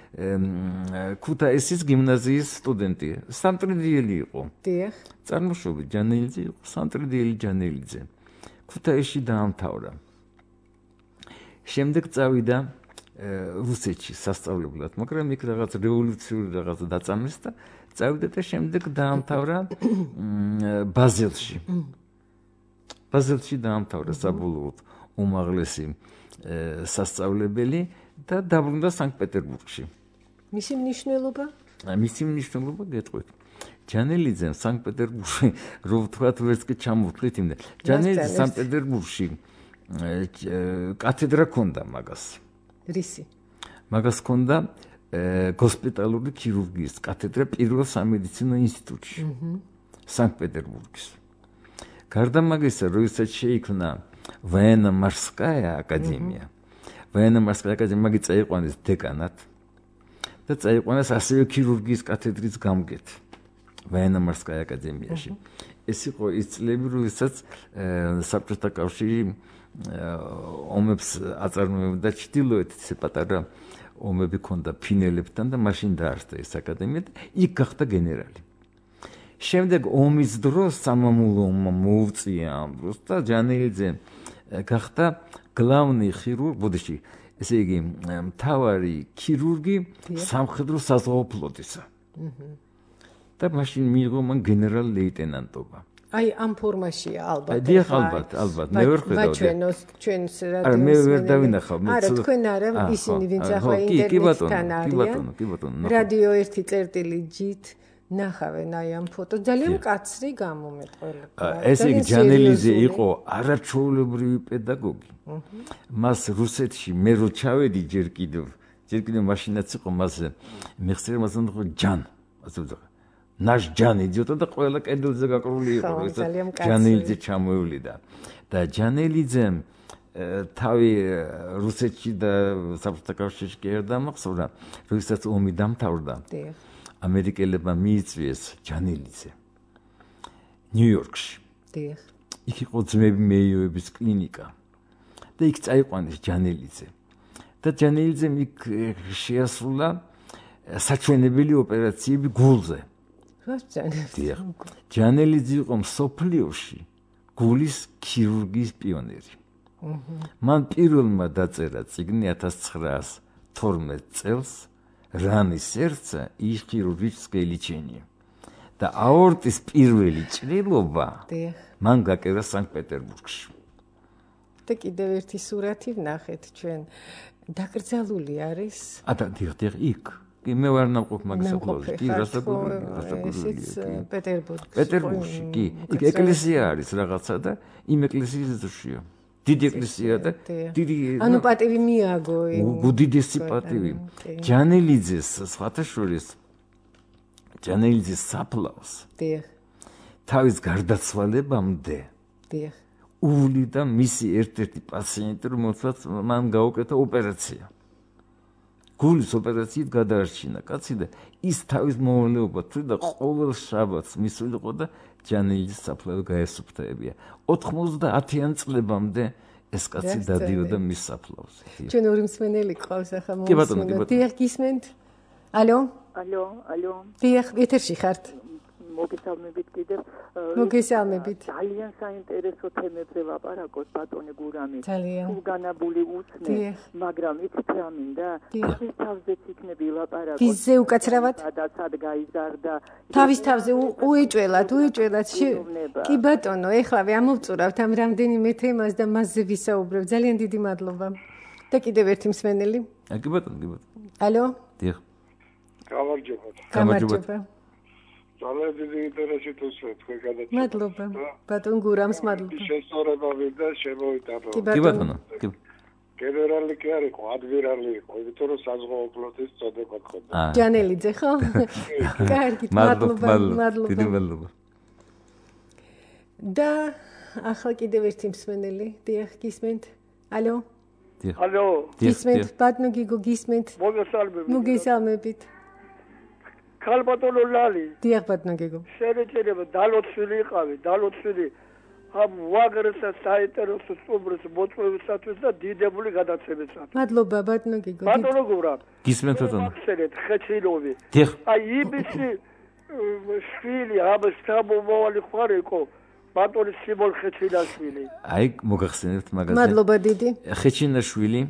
ქუთაისის გიმნაზიის სტუდენტი. სამტრედიელი იყო. დიახ. წარმოშობით ჯანელიძე იყო, სამტრედიელი ჯანელიძე. ქუთაისში დაამთავრა. შემდეგ წავიდა რუსეთში სასწავლებლად, მაგრამ იქ რაღაც რევოლუციური რაღაცა დაწამეს და წავიდა და შემდეგ დაამთავრა ბაზელში. ბაზელში დაამთავრა საბოლოოდ უმაღლესი სასწავლებელი და დაბრუნდა სანქტ-პეტერბურგში. მისი მნიშვნელობა? მისი მნიშვნელობა გეტყვით. ჯანელიძემ სანქტ-პეტერბურგში რო ვთქვათ ვერც კი ჩამოვთვლით იმდა. ჯანელიძე სანქტ-პეტერბურგში კათედრა ჰქონდა მაგას. რისი? მაგას ჰქონდა გოსპიტალური ქირურგიის კათედრა პირველ სამედიცინო ინსტიტუტში. სანქტ-პეტერბურგის. გარდა მაგისა, როდესაც შეიქმნა военно-морская აკადემია. военно-морская აკადემია მაგი წაიყვანეს დეკანად და წაიყვანეს ასევე ქირურგიის კათედრის გამგედ военно-морская აკადემიაში. ეს იყო ის წლები, როდესაც საბჭოთა კავშირი ომებს აწარმოებდა ჩრდილოეთით, ესე პატარა ომები ჰქონდა ფინელებთან და მაშინ დაარსდა ეს აკადემია და იქ გახდა გენერალი. შემდეგ ომის დროს სამამულო ომმა მოუწია ამ დროს და ჯანელიძე გახდა главный хирург, ბოდიში, ესე იგი მთავარი ქირურგი სამხედრო საზღვაო ფლოტისა. და მაშინ მიიღო მან გენერალ-ლეიტენანტობა. აი ამ ფორმაშია ალბათ. დიახ, ალბათ, მე ვერ ხედავდი. ჩვენს არა, მე ვერ დავინახავ. არა, თქვენ არა, ისინი ვინც ახლა ინტერნეტთან არიან. კი ბატონო. რადიო 1.G-ით ნახავენ აი ამ ფოტო. ძალიან კაცრი გამომეყოლა. ესე იგი ჯანელიძე იყო არაჩვეულებრივი პედაგოგი. მას რუსეთში მე რო ჩავედი ჯერ კიდევ მაშინაც იყო მას მეხსიერება მას უნდა ჯან, ასე ვთქვა. ნაშ ჯანი ძიოთა და ყველა კედელზე გაკრული იყო, როდესაც ჯანელიძე ჩამოევლიდა. და ჯანელიძემ თავი რუსეთში და საბჭოთა კავშირში კი არ დამახსოვრა, როდესაც ომი დამთავრდა. ამერიკელებმა მიიწვიეს ჯანელიძე ნიუ-იორკში. იქ იყო ძმები მეიოების კლინიკა და იქ წაიყვანეს ჯანელიძე. და ჯანელიძემ იქ შეასრულა საჩვენებელი ოპერაციები გულზე. ჯანელიძე იყო მსოფლიოში გულის ქირურგიის პიონერი. მან პირველმა დაწერა წიგნი 1912 წელს რანი სერცა и хирургическое лечение. და აორტის პირველი ჭრილობა მან გაკეთდა სანქტ-პეტერბურგში. და კიდევ ერთი სურათი ვნახეთ ჩვენ. დაკრძალული არის? დიახ, იქ. კი მე ვარ ნამყოფ მაგას ახლოს. კი, პეტერბურგში, კი. იქ ეკლესია არის რაღაცა და იმ ეკლესიის ძშია. დიდი ეკლესია და დიდი ანუ პატივი მიაგო უდიდესი პატივი. ჯანელიძეს სხვათა შორის ჯანელიძის საფლავს თავის გარდაცვალებამდე უვლიდა მისი ერთ-ერთი პაციენტი, რომელსაც მან გაუკეთა ოპერაცია. გულის ოპერაციით გადაარჩინა კაცი და ის თავის მოვალეობა თვიდა ყოველ შაბათს მისულიყო და ჯანელიძის საფლავი გაესუფთავებია. 90-იან წლებამდე ეს კაცი დადიოდა მის საფლავს. ჩვენ ორი მსმენელი ყავს ახლა მომსმენელი. დიახ, გისმენთ? ალო? ალო. დიახ, ეთერში ხართ? მოგესალმებით კიდევ. მოგესალმებით. ძალიან საინტერესო თემებზე ვაპარაკოთ ბატონი გურამი. ძალიან. თუ განაბული უცნე, მაგრამ იცით რა მინდა? თავის თავზეც იქნები ლაპარაკოთ. ვიზზე უკაცრავად? სადაც გაიზარდა. თავის თავზე უეჭველად. კი ბატონო, ეხლავე ამოვწურავთ ამ რამდენიმე თემას და მასზე ვისაუბრებ. ძალიან დიდი მადლობა. და კიდევ ერთი მსმენელი. კი ბატონო. ალო? დიახ. გამარჯობა. ძალიან დიდი ინტერესით უსვეთ თქვენ გადაცემას. მადლობა. ბატონ გურამს მადლობა. შესწორება მინდა შემოვიტანო. კი ბატონო. გენერალი კი არ იყო, ადმირალი იყო, იმიტომ რომ საზღვაო ფლოტის წოდება ჰქონდა. ჯანელიძე ხო? კარგი, მადლობა. დიდი მადლობა. და ახლა კიდევ ერთი მსმენელი. დიახ, გისმენთ? ალო? ალო. გისმენთ, ბატონო გიგო, გისმენთ? მოგესალმებით. ქალბატონო ლალი. დიახ, ბატონო გიგო. შეიძლება დალოცვილი იყავი, დალოცვილი ამ ვაგრესა საინტერესო სტუმრს მოწვევისათვის და დიდებული გადაცემისათვის. მადლობა, ბატონო გიგო. ბატონო გურა. გისმენთ ბატონო. ახსენეთ ხეცილოვი. დიახ. აი იბისი შვილი ამ სტაბოვალი ხარ იყო. ბატონი სიმონ ხეჩინაშვილი. აი მოგახსენებთ მაგაზე. მადლობა დიდი. ხეჩინაშვილი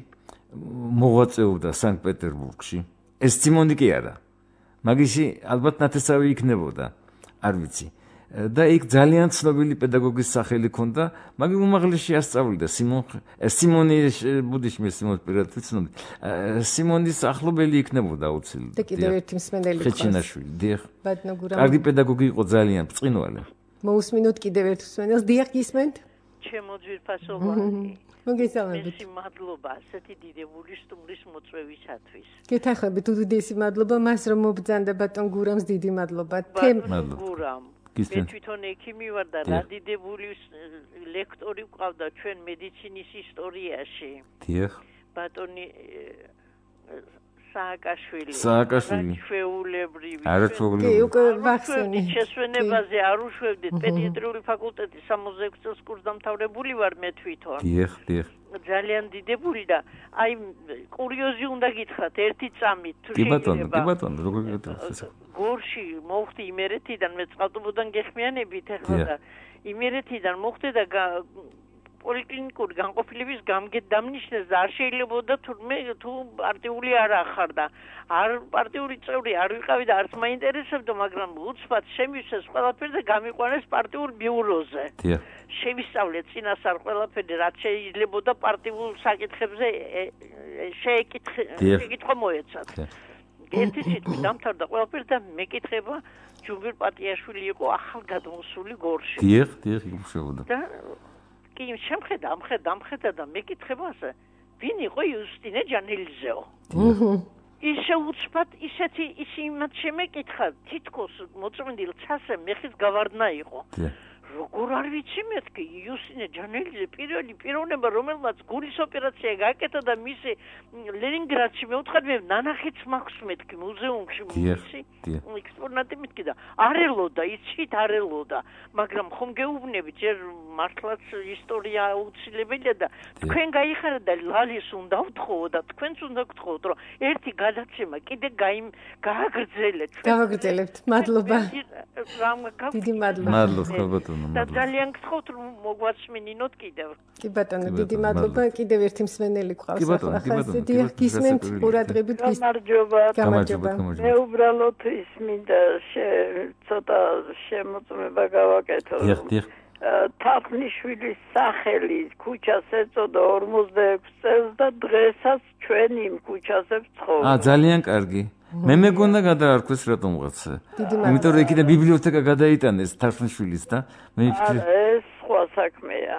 მოღვაწეობდა სანქტ-პეტერბურგში. ეს სიმონი კი არა. მაგისი ალბათ ნათესავი იქნებოდა, არ ვიცი. და იქ ძალიან ცნობილი პედაგოგის სახელი ჰქონდა, მაგ უმაღლესში ასწავლიდა სიმონი ბუდიშმის სიმონის პირადად ვიცნობ. სიმონის ახლობელი იქნებოდა აუცილებლად. და კიდევ ერთი მსმენელი ხეჩინაშვილი, დიახ. ბატონო გურამ. კარგი პედაგოგი იყო ძალიან ბრწყინვალე. მოусმინოთ კიდევ ერთ მსმენელს, დიახ გისმენთ? ჩემო ძვირფასოვანი. მოგესალმებით. მადლობა ასეთი დიდებული სტუმრის მოწვევისათვის. გეთანხმებით უდიდესი მადლობა მას რომ მობრძანდა ბატონ გურამს დიდი მადლობა. ბატონ გურამ. მე თვითონ ექიმი ვარ და რა დიდებული ლექტორი ვყავდა ჩვენ მედიცინის ისტორიაში. დიახ. ბატონი სააკაშვილი. ჩვეულებრივი. არაჩვეულებრივი. კი, უკვე ვახსენე. შესვენებაზე არ უშვებდით. პედიატრიული ფაკულტეტის 66 კურსდამთავრებული ვარ მე თვითონ. დიახ, დიახ. ძალიან დიდებული და აი კურიოზი უნდა გითხრათ ერთი წამით თუ შეიძლება. კი ბატონო, როგორ გეტყვით? გორში მოვხდი იმერეთიდან მე წყალტუბოდან გეხმიანებით ახლა და იმერეთიდან მოხდე და პოლიკლინიკური განყოფილების დამნიშნეს და არ შეიძლებოდა თუ პარტიული არ ახარ და არ პარტიული წევრი არ ვიყავი და არც მაინტერესებდა, მაგრამ უცბად შემივსეს ყველაფერი და გამიყვანეს პარტიულ ბიუროზე. შევისწავლე წინასწარ ყველაფერი, რაც შეიძლებოდა პარტიულ საკითხებზე შეკითხვა მოეცათ. ერთი სიტყვით დამთავრდა ყველაფერი და მეკითხება ჯუმბირ პატიაშვილი იყო ახალგადმოსული გორში. დიახ, იმუშაობდა. და კი ამხედა და მეკითხებაზე ვინ იყო იუსტინე ჯანელიძეო. ისე უცბად ისე იმათ შემეკითხა, თითქოს მოწმენდილ ცასე მეხის გავარდნა იყო. როგორ არ ვიცი მეთქი იუსტინე ჯანელიძე პირველი პიროვნება რომელმაც გულის ოპერაცია გაკეთა და მისი ლენინგრადში მეუთხარ მე ნანახიც მაქვს მეთქი მუზეუმში მისი ექსპონატი მეთქი და არ ელოდა იცით არ ელოდა მაგრამ ხომ გეუბნებით ჯერ მართლაც ისტორია აუცილებელია და თქვენ გაიხარეთ და ლალის უნდა ვთხოვო და თქვენც უნდა გთხოვოთ რომ ერთი გადაცემა კიდე გააგრძელეთ გავაგრძელებთ მადლობა დიდი მადლობა და ძალიან გთხოვთ რომ მოგვასმინინოთ კიდევ. კი ბატონო, დიდი მადლობა. კიდევ ერთი მსმენელი გვყავს ახლა. დიახ, გისმენთ ყურადღებით გამარჯობა. მე უბრალოდ ის მინდა ცოტა შემოწმება გავაკეთო. დიახ. თაფნიშვილის სახელი ქუჩას ეწოდა 46 წელს და დღესაც ჩვენ იმ ქუჩაზე ვცხოვრობთ. ძალიან კარგი. მე მეგონა გადაარქვეს რატომღაც. იმიტომ რომ იქიდან ბიბლიოთეკა გადაიტანეს თარხნიშვილის და მე ვფიქრე ეს სხვა საქმეა.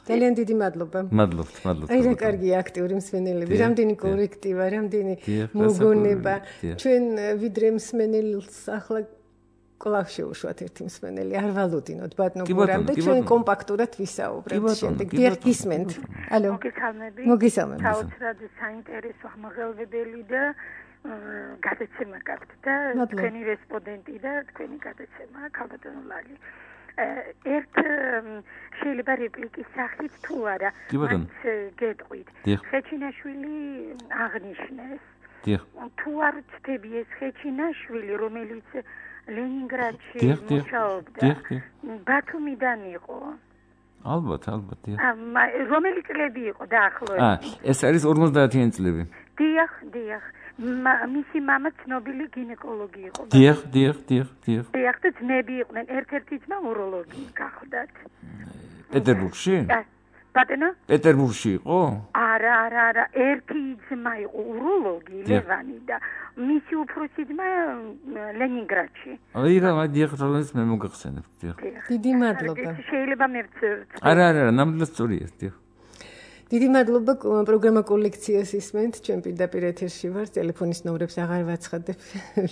ძალიან დიდი მადლობა. მადლობთ. აი რა კარგია აქტიური მსმენელები, რამდენი კორექტივა, რამდენი მოგონება. ჩვენ ვიდრე მსმენელს ახლა კლავ შეუშვათ ერთი მსმენელი, არ ვალოდინოთ ბატონო გურამ და ჩვენ კომპაქტურად ვისაუბრებთ შემდეგ. დიახ, გისმენთ. ალო. მოგესალმებით. საოცრად საინტერესო აღმოჩენებელი და გადაცემა გაქვთ და თქვენი რესპონდენტი და თქვენი გადაცემა ქალბატონო ლალი. ერთ შეიძლება რეპლიკის სახით თუ არა მაინც გეტყვით. ხეჩინაშვილი აღნიშნეს. თუ არ ვწდები ეს ხეჩინაშვილი რომელიც ლენინგრადში მუშაობდა ბათუმიდან იყო. ალბათ. რომელი წლები იყო დაახლოებით? ეს არის 50-იანი წლები. დიახ. მისი მამა ცნობილი გინეკოლოგი იყო. დიახ. დიახ და ძმები იყვნენ. ერთ-ერთი ძმა უროლოგი გახლდათ. პეტერბურგში? ბატონო? პეტერბურგში იყო? არა. ერთი ძმა იყო უროლოგი ლევანი და მისი უფროსი ძმა ლენინგრადში. აი რა, დიახ, რომელიც მე მოგახსენებ. დიდი მადლობა. შეიძლება მე არა, ნამდვილად სწორია, დიახ. დიდი მადლობა პროგრამა კოლექციას ისმენთ. ჩვენ პირდაპირ ეთერში ვარ. ტელეფონის ნომრებს აღარ ვაცხადებ.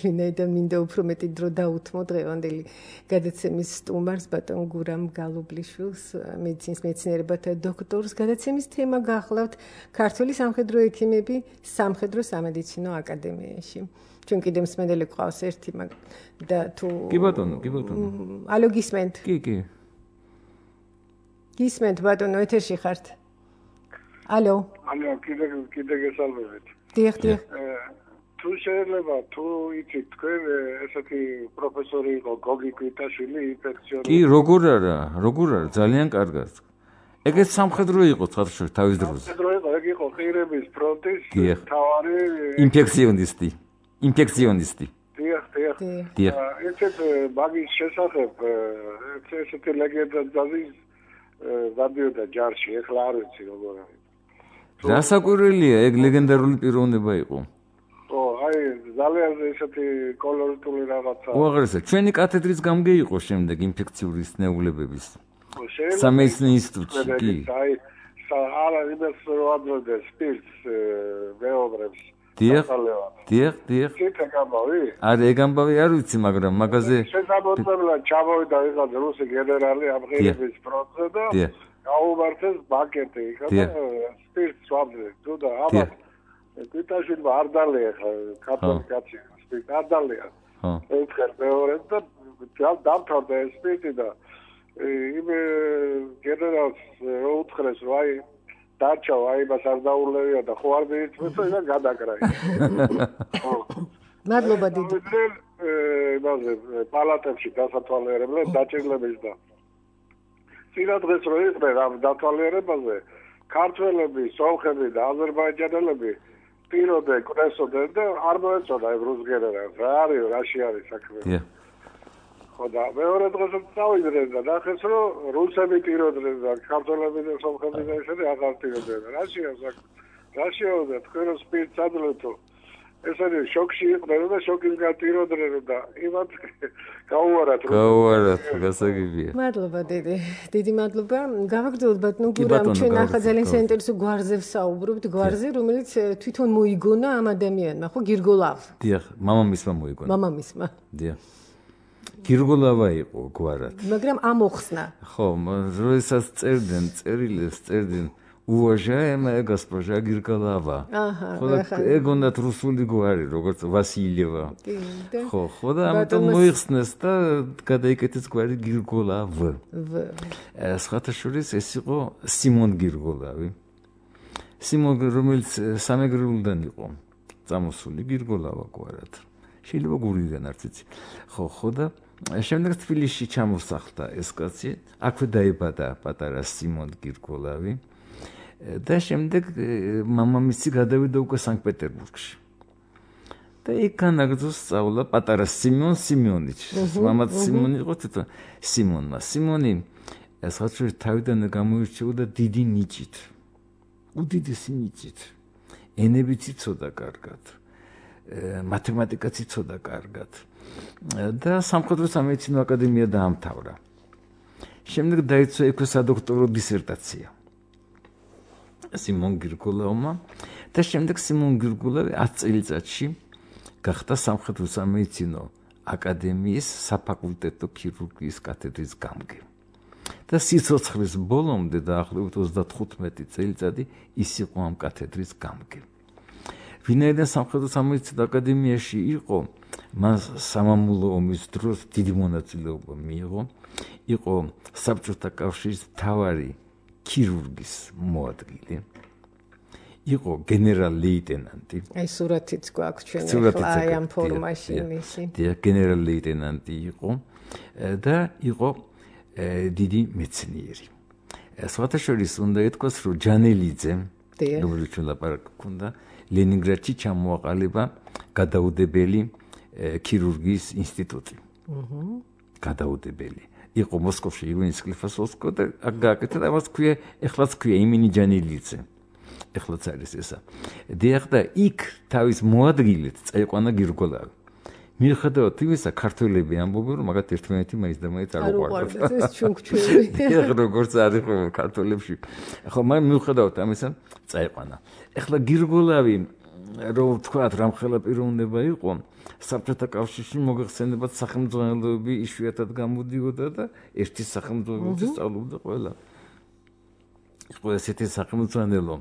ვინაიდან მინდა უფრო მეტი დრო დაუთმო დღევანდელი გადაცემის სტუმარს ბატონ გურამ გალობლიშვილს, მედიცინის მეცნიერებათა დოქტორს. გადაცემის თემა გახლავთ ქართველი სამხედრო ექიმები სამხედრო-სამედიცინო აკადემიაში. ჩვენ კიდევ მსმენელი გვყავს ერთი და თუ კი ბატონო. ალო გისმენთ? კი. გისმენთ ბატონო, ეთერში ხართ? ალო, კიდე გესალმებით. დიახ. თუ შეიძლება, თუ იცით, თქვენ ესეთი პროფესორი იყო გოგი კვიტაშვილი ინფექციონი. კი, როგორ არა, ძალიან კარგად. ეგეც სამხედრო იყო თავის დროზე. სამხედრო იყო, ეგ იყო ყირების ფრონტის მთავარი ინფექციონისტი. დიახ, ესეთ მაგის შესახებ ესეთი ლეგენდა დადიოდა ჯარში, ეხლა არ ვიცი როგორ არის. რასაკვირველია, ეგ ლეგენდარული პიროვნება იყო. აი ძალიან ესეთი კოლორიტული რაღაცა. უაღრესად, ჩვენი კათედრის გამგე იყო შემდეგ ინფექციური სნეულებების. სამეცნიერო ინსტიტუტში, კი. აი არა იმას რო ამბობენ სპირტს მეობრებს. დიახ. ციტა გამოვი? არა, ეგ ამბავი არ ვიცი, მაგრამ მაგაზე შესაძლებლად ჩამოვიდა ვიღაც რუსი გენერალი ამღერების პროცესზე და გაუმართეს ბაკეტი, იქა და სპირტს ვამბობენ. თუ და აბა კიტაშვილმა არ დალია ხა კათოლიკ კაცი სპირტს არ დალია. ერთხელ მეორე და დამთავრდა ეს სპირტი და იმ გენერალს რო უთხრეს რომ აი დარჩა აი მას არ დაულევია და ხო არ მიიწვეს და გადაკრა. მადლობა დიდი. იმაზე პალატებში დასათვალიერებლად დაჭირლების და წინა დღეს რო იყვნენ ამ დათვალიერებაზე ქართველები, სომხები და აზერბაიჯანელები პირობდნენ, კრესოდნენ და არ მოეწოდა ეგ რუს გენერალს. რა არის, რაში არის საქმე? ხო და მეორე დღესაც წავიდნენ და ნახეს რომ რუსები ტიროდნენ და ქართველები და სომხები და ისინი აღარ ტიროდნენ. რაშია და თქვენ სპირტს ადლეთო ესენი შოქში იყვნენ და შოკის გატიროდნენ და იმათ გაუარათ გასაგებია. მადლობა დიდი მადლობა. გავაგრძელოთ ბატონო გურამ, ჩვენ ახლა ძალიან საინტერესო გვარზე ვსაუბრობთ, გვარზე რომელიც თვითონ მოიგონა ამ ადამიანმა, ხო გირგოლავ. დიახ, მამამისმა მოიგონა. მამამისმა. დიახ. გირგოლავა იყო გვარად. მაგრამ ამოხსნა. ხო, როდესაც წერდნენ уважаемая госпожа Гирголава. ხო, ეგ უნდათ რუსული გვარი, როგორც ვასილიევა. ხო, და ამიტომ მოიხსნეს და გადაიკეთეს გვარი გირგოლავ. სხვათა შორის ეს იყო სიმონ გირგოლავი. სიმონ, რომელიც სამეგრელოდან იყო წამოსული გირგოლავა გვარად. შეიძლება გურიდან არც იცი. ხო და შემდეგ თბილისში ჩამოსახლდა ეს კაცი, აქვე დაიბადა პატარა სიმონ გირგოლავი და შემდეგ მამამისი გადავიდა უკვე სანქტ-პეტერბურგში. და იქ განაგრძო სწავლა პატარა სიმონ სიმიონიჩს. მამაც სიმონი იყო თვითონ სიმონმა. სიმონი სხვათა თავიდან გამოირჩეოდა დიდი ნიჭით. უდიდესი ნიჭით. ენებიც იცოდა კარგად. მათემატიკაც იცოდა კარგად და სამხედრო სამედიცინო აკადემია დაამთავრა. შემდეგ დაიცვა ექვე სადოქტორო დისერტაცია სიმონ გირგოლავმა და შემდეგ სიმონ გირგოლავი 10 წელიწადში გახდა სამხედრო სამედიცინო აკადემიის საფაკულტეტო ქირურგიის კათედრის გამგე. და სიცოცხლის ბოლომდე დაახლოებით 35 წელიწადი ის იყო ამ კათედრის გამგე. ვინაიდან სამხედრო სამედიცინო აკადემიაში იყო, მას სამამულო ომის დროს დიდი მონაწილეობა მიიღო, იყო საბჭოთა კავშირის მთავარი ქირურგის მოადგილე, იყო გენერალ-ლეიტენანტი. აი სურათიც გვაქვს ჩვენ ახლა აი ამ ფორმაში მისი. გენერალ-ლეიტენანტი იყო და იყო დიდი მეცნიერი. სხვათა შორის უნდა ითქვას, რომ ჯანელიძე, რომელიც ლაპარაკი ჰქონდა, ლენინგრადში ჩამოაყალიბა გადაუდებელი ქირურგიის ინსტიტუტი. გადაუდებელი. იყო მოსკოვში ივანის სკლიფასოვსკო და აქ გააკეთა და მას ქვია, ეხლაც ქვია იმენი ჯანელიძე. ეხლაც არის ესა. დიახ და იქ თავის მოადგილედ წაიყვანა გირგოლავი. მიუხედავად იმისა, ქართველები ამბობენ, რომ მაგათ ერთმანეთი მაინც და მაინც არ უყვარდათ. ეს ჩუნქჩუნი. ეხლა როგორც არის ხო ქართველებში. ხო, მაგრამ მიუხედავად ამისა, წაიყვანა. ეხლა გირგოლავი, რომ თქვათ, რამხელა პიროვნება იყო, საბჭოთა კავშირში მოგეხსენებათ სახელმძღვანელოები იშვიათად გამოდიოდა და ერთი სახელმძღვანელოები სწავლობდა ყველა. იყო ესეთი სახელმძღვანელო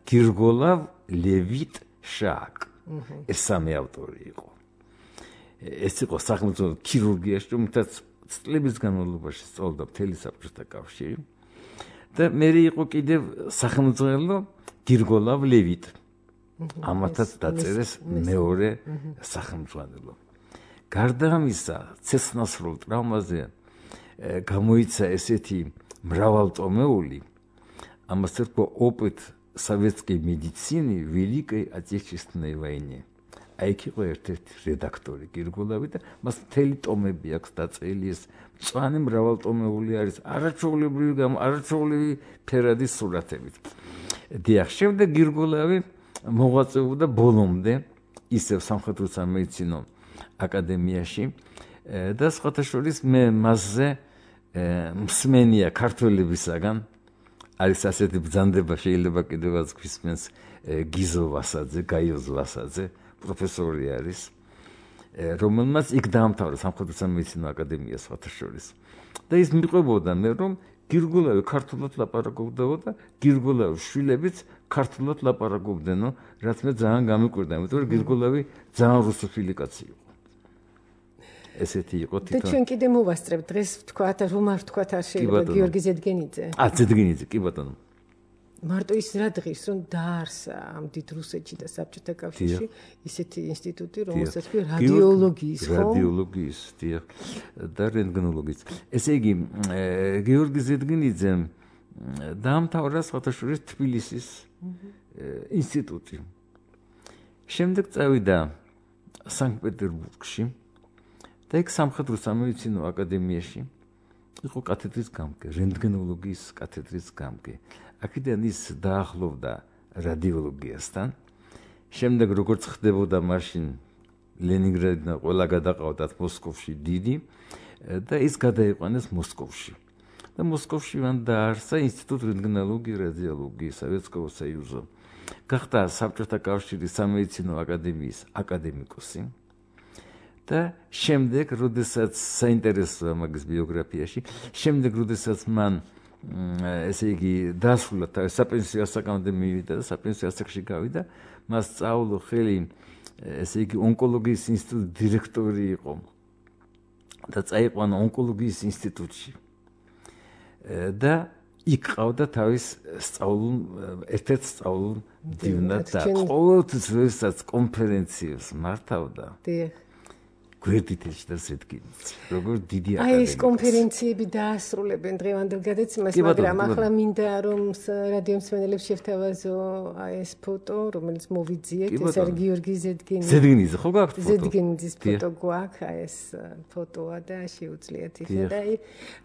გირგოლავ, ლევიტ, შააკ. ეს სამი ავტორი იყო. ეს იყო სახელმწიფო ქირურგიაში, რომელთაც წლების განმავლობაში სწავლდა მთელი საბჭოთა კავშირი. და მე იყო კიდევ სახელმძღვანელო გირგოლავ ლევიტ. ამათაც დაწერეს მეორე სახელმძღვანელო. გარდა ამისა, ცეცხლსასროლ ტრავმაზე გამოიცა ესეთი მრავალტომეული, ამას ერქვა ოპыт советской медицины в Великой Отечественной войне. აი იქ იყო ერთ-ერთი რედაქტორი გირგულავი და მას მთელი ტომები აქვს დაწერილი ეს მწვანე მრავალტომეული არის არაჩვეულებრივი ფერადის სურათებით. დიახ, შემდეგ გირგულავი მოღვაწეობდა ბოლომდე ისევ სამხედრო სამედიცინო აკადემიაში და სხვათა შორის მე მასზე მსმენია ქართველებისაგან არის ასეთი ბრძანდება შეიძლება კიდევაც გვისმენს გიზო ვასაძე, გაიოზ ვასაძე, პროფესორი არის, რომელმაც იქ დაამთავრა სამხედრო სამედიცინო აკადემია სხვათა შორის. და ის მიყვებოდა მე რომ გირგულავი ქართულად ლაპარაკობდა და გირგულავის შვილებიც ქართულად ლაპარაკობდნო, რაც მე ძალიან გამიკვირდა, იმიტომ რომ გირგულავი ძალიან რუსოფილი კაცი იყო. ესეთი იყო თვითონ. და ჩვენ კიდე მოვასწრებთ დღეს ვთქვათ, რომ არ ვთქვათ არ შეიძლება გიორგი ზედგენიძე. ზედგენიძე, კი ბატონო. მარტო ის რა დღის რომ დაარსა ამ დიდ რუსეთში და საბჭოთა კავშირში ისეთი ინსტიტუტი, რომელსაც ქვია რადიოლოგიის, ხო? რადიოლოგიის, დიახ, და რენტგენოლოგიის. ესე იგი, გიორგი ზედგენიძემ დაამთავრა სხვათა შორის თბილისის ინსტიტუტი. შემდეგ წავიდა სანქტ-პეტერბურგში და იქ სამხედრო სამედიცინო აკადემიაში იყო კათედრის გამგე, რენტგენოლოგიის კათედრის გამგე. აქედან ის დაახლოვდა რადიოლოგიასთან. შემდეგ როგორც ხდებოდა მაშინ ლენინგრადიდან ყველა გადაყავდათ მოსკოვში დიდი და ის გადაიყვანეს მოსკოვში. და მოსკოვში მან დაარსა ინსტიტუტ რენტგენოლოგიის რადიოლოგიის სოვიეტского союза. გახდა საბჭოთა კავშირის სამედიცინო აკადემიის აკადემიკოსი. და შემდეგ, როდესაც საინტერესოა მაგის ბიოგრაფიაში, შემდეგ როდესაც მან ესე იგი დასრულა თავის საპენსიო ასაკამდე მივიდა და საპენსიო ასაკში გავიდა, მას სწავლო ხელი ესე იგი ონკოლოგიის ინსტიტუტის დირექტორი იყო და წაიყვანა ონკოლოგიის ინსტიტუტში. და იქ ყავდა თავის ერთ-ერთ სწავლულ მდივნად და ყოველთვის როდესაც კონფერენციებს მართავდა. გვერდითელში და ზედგენიძე. როგორ დიდი აკადემიკოსი. აი ეს კონფერენციები დაასრულებენ დღევანდელ გადაცემას, მაგრამ ახლა მინდა რომ რადიომსმენელებს შევთავაზო აი ეს ფოტო, რომელიც მოვიძიეთ, ეს არის გიორგი ზედგენიძე. ზედგენიძე ხო გაქვთ ფოტო? ზედგენიძის ფოტო გვაქვს, აი ეს ფოტოა და შეუძლიათ იხა და აი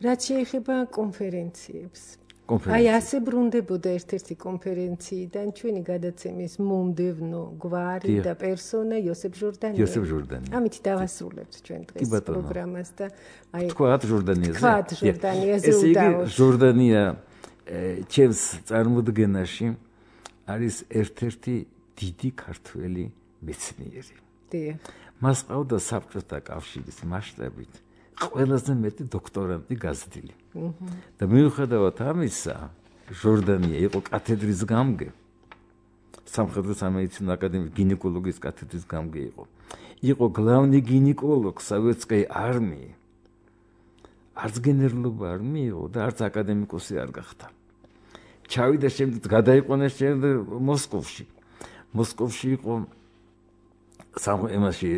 რაც შეეხება კონფერენციებს. აი ასე ბრუნდებოდა ერთ-ერთი კონფერენციიდან ჩვენი გადაცემის მომდევნო გვარი და პერსონა იოსებ ჟორდანია. იოსებ ჟორდანია. ამით დავასრულებთ ჩვენ დღეს პროგრამას და აი თქვათ ჟორდანიაზე. თქვათ ჟორდანიაზე ესე იგი ჟორდანია ჩემს წარმოდგენაში არის ერთ-ერთი დიდი ქართველი მეცნიერი. დიახ. მას ყავდა საბჭოთა კავშირის მასშტაბით ყველაზე მეტი დოქტორანტი გაზრდილი. და მიუხედავად ამისა, ჟორდანია იყო კათედრის გამგე. სამხედრო სამედიცინო აკადემიის გინეკოლოგიის კათედრის გამგე იყო. იყო გლავნი გინეკოლოგ სოვიეტской არმიი. არც გენერლობა არ მიიღო და არც აკადემიკოსი არ გახდა. ჩავიდა შემდეგ გადაიყვანეს შემდეგ მოსკოვში. მოსკოვში იყო სამემაში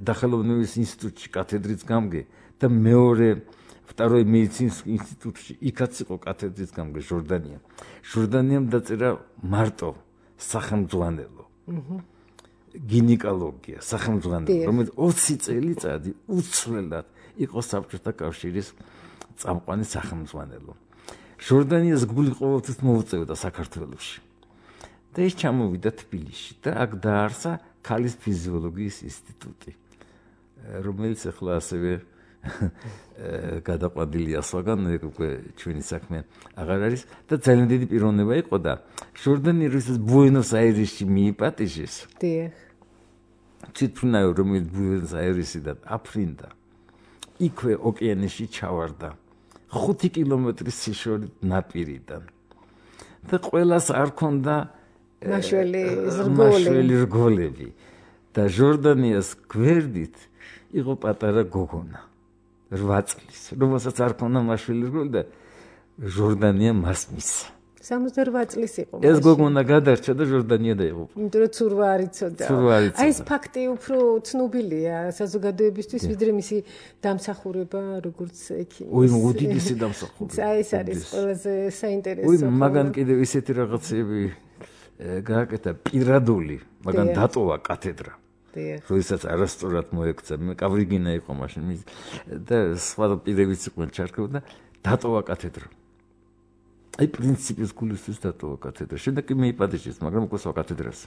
დახელოვნების ინსტიტუტში კათედრის გამგე და მეორე ვტორой медицинский ინსტიტუტში იქაც იყო კათედრის გამგე ჟორდანია. ჟორდანიამ დაწერა მარტო სახელმძღვანელო. გინეკოლოგია, სახელმძღვანელო, რომელიც 20 წელიწადი უცვლელად იყო საბჭოთა კავშირის წამყვანი სახელმძღვანელო. ჟორდანიას გული ყოველთვის მოუწევდა საქართველოში. და ის ჩამოვიდა თბილისში და აქ დაარსა ქალის ფიზიოლოგიის ინსტიტუტი, რომელიც ახლა ასევე გადაყვადილია სხვაგან, უკვე ჩვენი საქმე აღარ არის და ძალიან დიდი პიროვნება იყო და ჟორდანია როდის ბუენოს-აირესში მიიპატიჟეს. დიახ. თვითმფრინავი, რომელიც ბუენოს-აირესიდან აფრინდა, იქვე ოკეანეში ჩავარდა 5 კილომეტრის სიშორით ნაპირიდან. და ყველას არ ქონდა მაშველი რგოლები. და ჟორდანიას გვერდით იყო პატარა გოგონა 8 წლის, რომელსაც არ ქონდა მაშველი რგოლი და ჟორდანია მას მისცა. 68 წლის იყო. ეს გოგონა გადარჩა და ჟორდანია დაიღუპა. იმიტომ რომ ცურვა არ იცოდა. აი ეს ფაქტი უფრო ცნობილია საზოგადოებისთვის, ვიდრე მისი დამსახურება როგორც ექიმის. ой, უდიდესი დამსახურება. აი ეს არის ყველაზე საინტერესო. ой, მაგან კიდევ ისეთი რაღაცები გააკეთა პირადული, მაგან დატოვა კათედრა. როდესაც არასწორად მოექცა, მე კავრიგინა იყო მაშინ და სხვა პირებიც იყვნენ ჩარქებული და დატოვა კათედრა. აი პრინციპის გულისთვის დატოვა კათედრა. შემდეგ კი მეიპატიჟეს, მაგრამ უკვე სხვა კათედრას.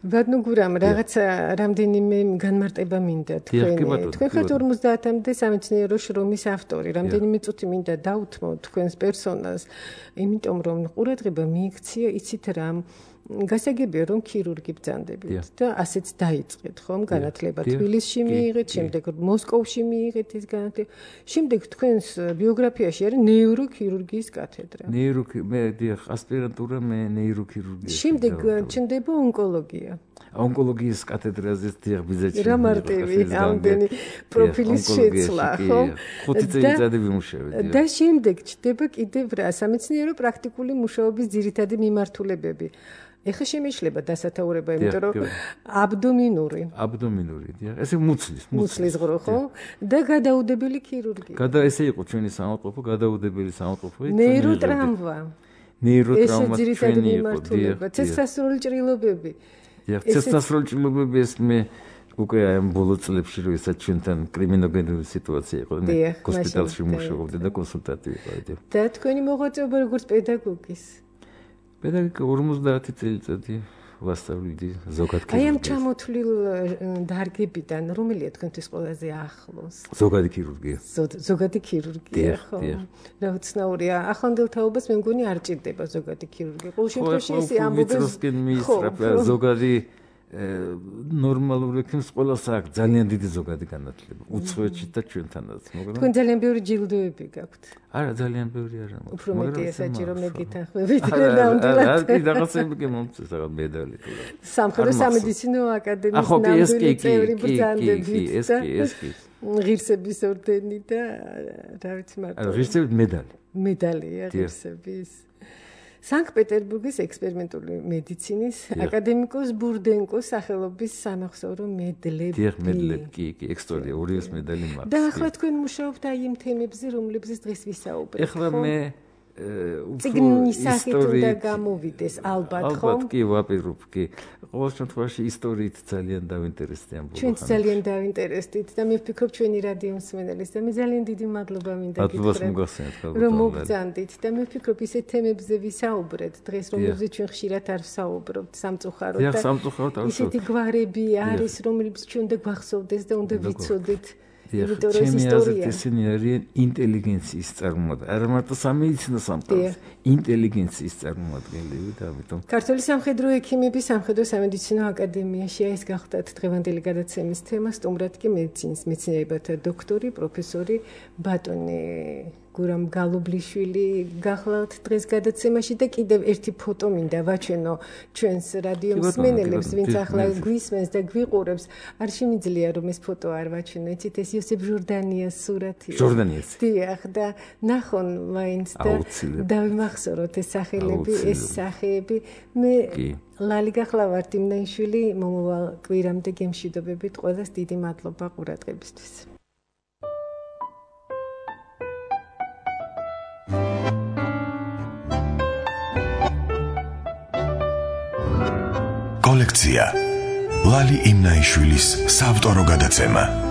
ბატონო გურამ, რაღაცა რამდენიმე განმარტება მინდა თქვენ. თქვენ ხართ 50-მდე სამეცნიერო შრომის ავტორი. რამდენიმე წუთი მინდა დაუთმო თქვენს პერსონას, იმიტომ რომ ყურადღება მიიქცია იცით რამ გასაგებია რომ ქირურგი ბრძანდებით და ასეც დაიწყეთ ხომ განათლება თბილისში მიიღეთ, შემდეგ მოსკოვში მიიღეთ ეს განათლება. შემდეგ თქვენს ბიოგრაფიაში არის ნეიროქირურგიის კათედრა. მე დიახ, ასპირანტურა მე ნეიროქირურგია. შემდეგ ჩნდება ონკოლოგია. ონკოლოგიის კათედრაზე დიახ ბიზნესი. რა მარტივი ამდენი პროფილის შეცვლა, ხო? 5 წელიწადი ვიმუშავე. და შემდეგ ჩნდება კიდევ რა სამეცნიერო პრაქტიკული მუშაობის ძირითადი მიმართულებები. ეხლა შემეშლება დასათაურება, იმიტომ რომ აბდომინური, დიახ, ესე მუცლის ღრო, ხო? და გადაუდებელი ქირურგია. ესე იყო ჩვენი საავადმყოფო, გადაუდებელი საავადმყოფო. ნეიროტრამვა. ნეიროტრამვა ძირითადი მიმართულება, ცეცხლსასროლი ჭრილობები. დიახ, ცეცხლსასროლი ჭრილობები ეს მე უკვე აი ამ ბოლო წლებში რომ ესაც ჩვენთან კრიმინოგენური სიტუაცია იყო, მე ჰოსპიტალში მუშაობდი და კონსულტანტი ვიყავი. და თქვენი მოღვაწეობა როგორც პედაგოგის? პედაგოგიკა 50 წელიწადი ვასწავლდი ზოგად ქირურგიას. აი ამ ჩამოთვლილ დარგებიდან რომელია თქვენთვის ყველაზე ახლოს? ზოგადი ქირურგია. ზოგადი ქირურგია, ხო? რა უცნაურია. ახლანდელ თაობას მე მგონი არ ჭირდება ზოგადი ქირურგია. ყოველ შემთხვევაში ესე ამბობენ. ზოგადი ნორმალური ექიმს ყველას აქვს ძალიან დიდი ზოგადი განათლება. უცხოეთში და ჩვენთანაც, მაგრამ თქვენ ძალიან ბევრი ჯილდოები გაქვთ. არა, ძალიან ბევრი არა. უფრო მეტია საჭირო მე გითანხმებით ნამდვილად. არა, რაღაცები კი მომწეს, რაღაც медали თუ რა. სამხედრო სამედიცინო აკადემიის ნამდვილი წევრი ბრძანდებით. ეს კი. ღირსების ორდენი და რა ვიცი მარტო. არა, ღირსების მედალია ღირსების. სანქტ-პეტერბურგის ექსპერიმენტული მედიცინის აკადემიკოს ბურდენკოს სახელობის სამახსოვრო მედლები. დიახ, მედლები, კი, ექსტორია, ორივეს მედალი მაქვს. და ახლა თქვენ მუშაობთ აი იმ თემებზე, რომლებზეც დღეს ვისაუბრებთ. ახლა მე წიგნის სახით უნდა გამოვიდეს, ალბათ, ხო? ალბათ კი, ვაპირებ, კი. ყოველ შემთხვევაში ისტორიით ძალიან დავინტერესდი ამ ბოლო ხანში. ჩვენც ძალიან დავინტერესდით და მე ვფიქრობ ჩვენი რადიო მსმენელის და მე ძალიან დიდი მადლობა მინდა გითხრათ, რომ მოგბრძანდით და მე ვფიქრობ ისეთ თემებზე ვისაუბრეთ დღეს, რომლებზეც ჩვენ ხშირად არ ვსაუბრობთ სამწუხაროდ და ისეთი გვარები არის, რომლებიც ჩვენ უნდა გვახსოვდეს და უნდა ვიცოდეთ. ჩემი აზრით ისინი არიან ინტელიგენციის წარმოადგენელი. არა მარტო სამედიცინო სამყაროს, ინტელიგენციის წარმოადგენელი და ამიტომ ქართული სამხედრო ექიმების სამხედრო სამედიცინო აკადემიაში ეს გახდათ დღევანდელი გადაცემის თემა, სტუმრად კი მედიცინის მეცნიერებათა დოქტორი, პროფესორი ბატონი გურამ გალობლიშვილი გახლავთ დღეს გადაცემაში და კიდევ ერთი ფოტო მინდა ვაჩვენო ჩვენს რადიო მსმენელებს, ვინც ახლა გვისმენს და გვიყურებს. არ შემიძლია რომ ეს ფოტო არ ვაჩვენო, იცით ეს იოსებ ჟორდანიას სურათია. ჟორდანიას. დიახ და ნახონ მაინც და დავიმახსოვროთ ეს სახელები, ეს სახეები. მე ლალი გახლავართ იმნაიშვილი, მომავალ კვირამდე გემშვიდობებით, ყველას დიდი მადლობა ყურადღებისთვის. კოლექცია ლალი იმნაიშვილის საავტორო გადაცემა.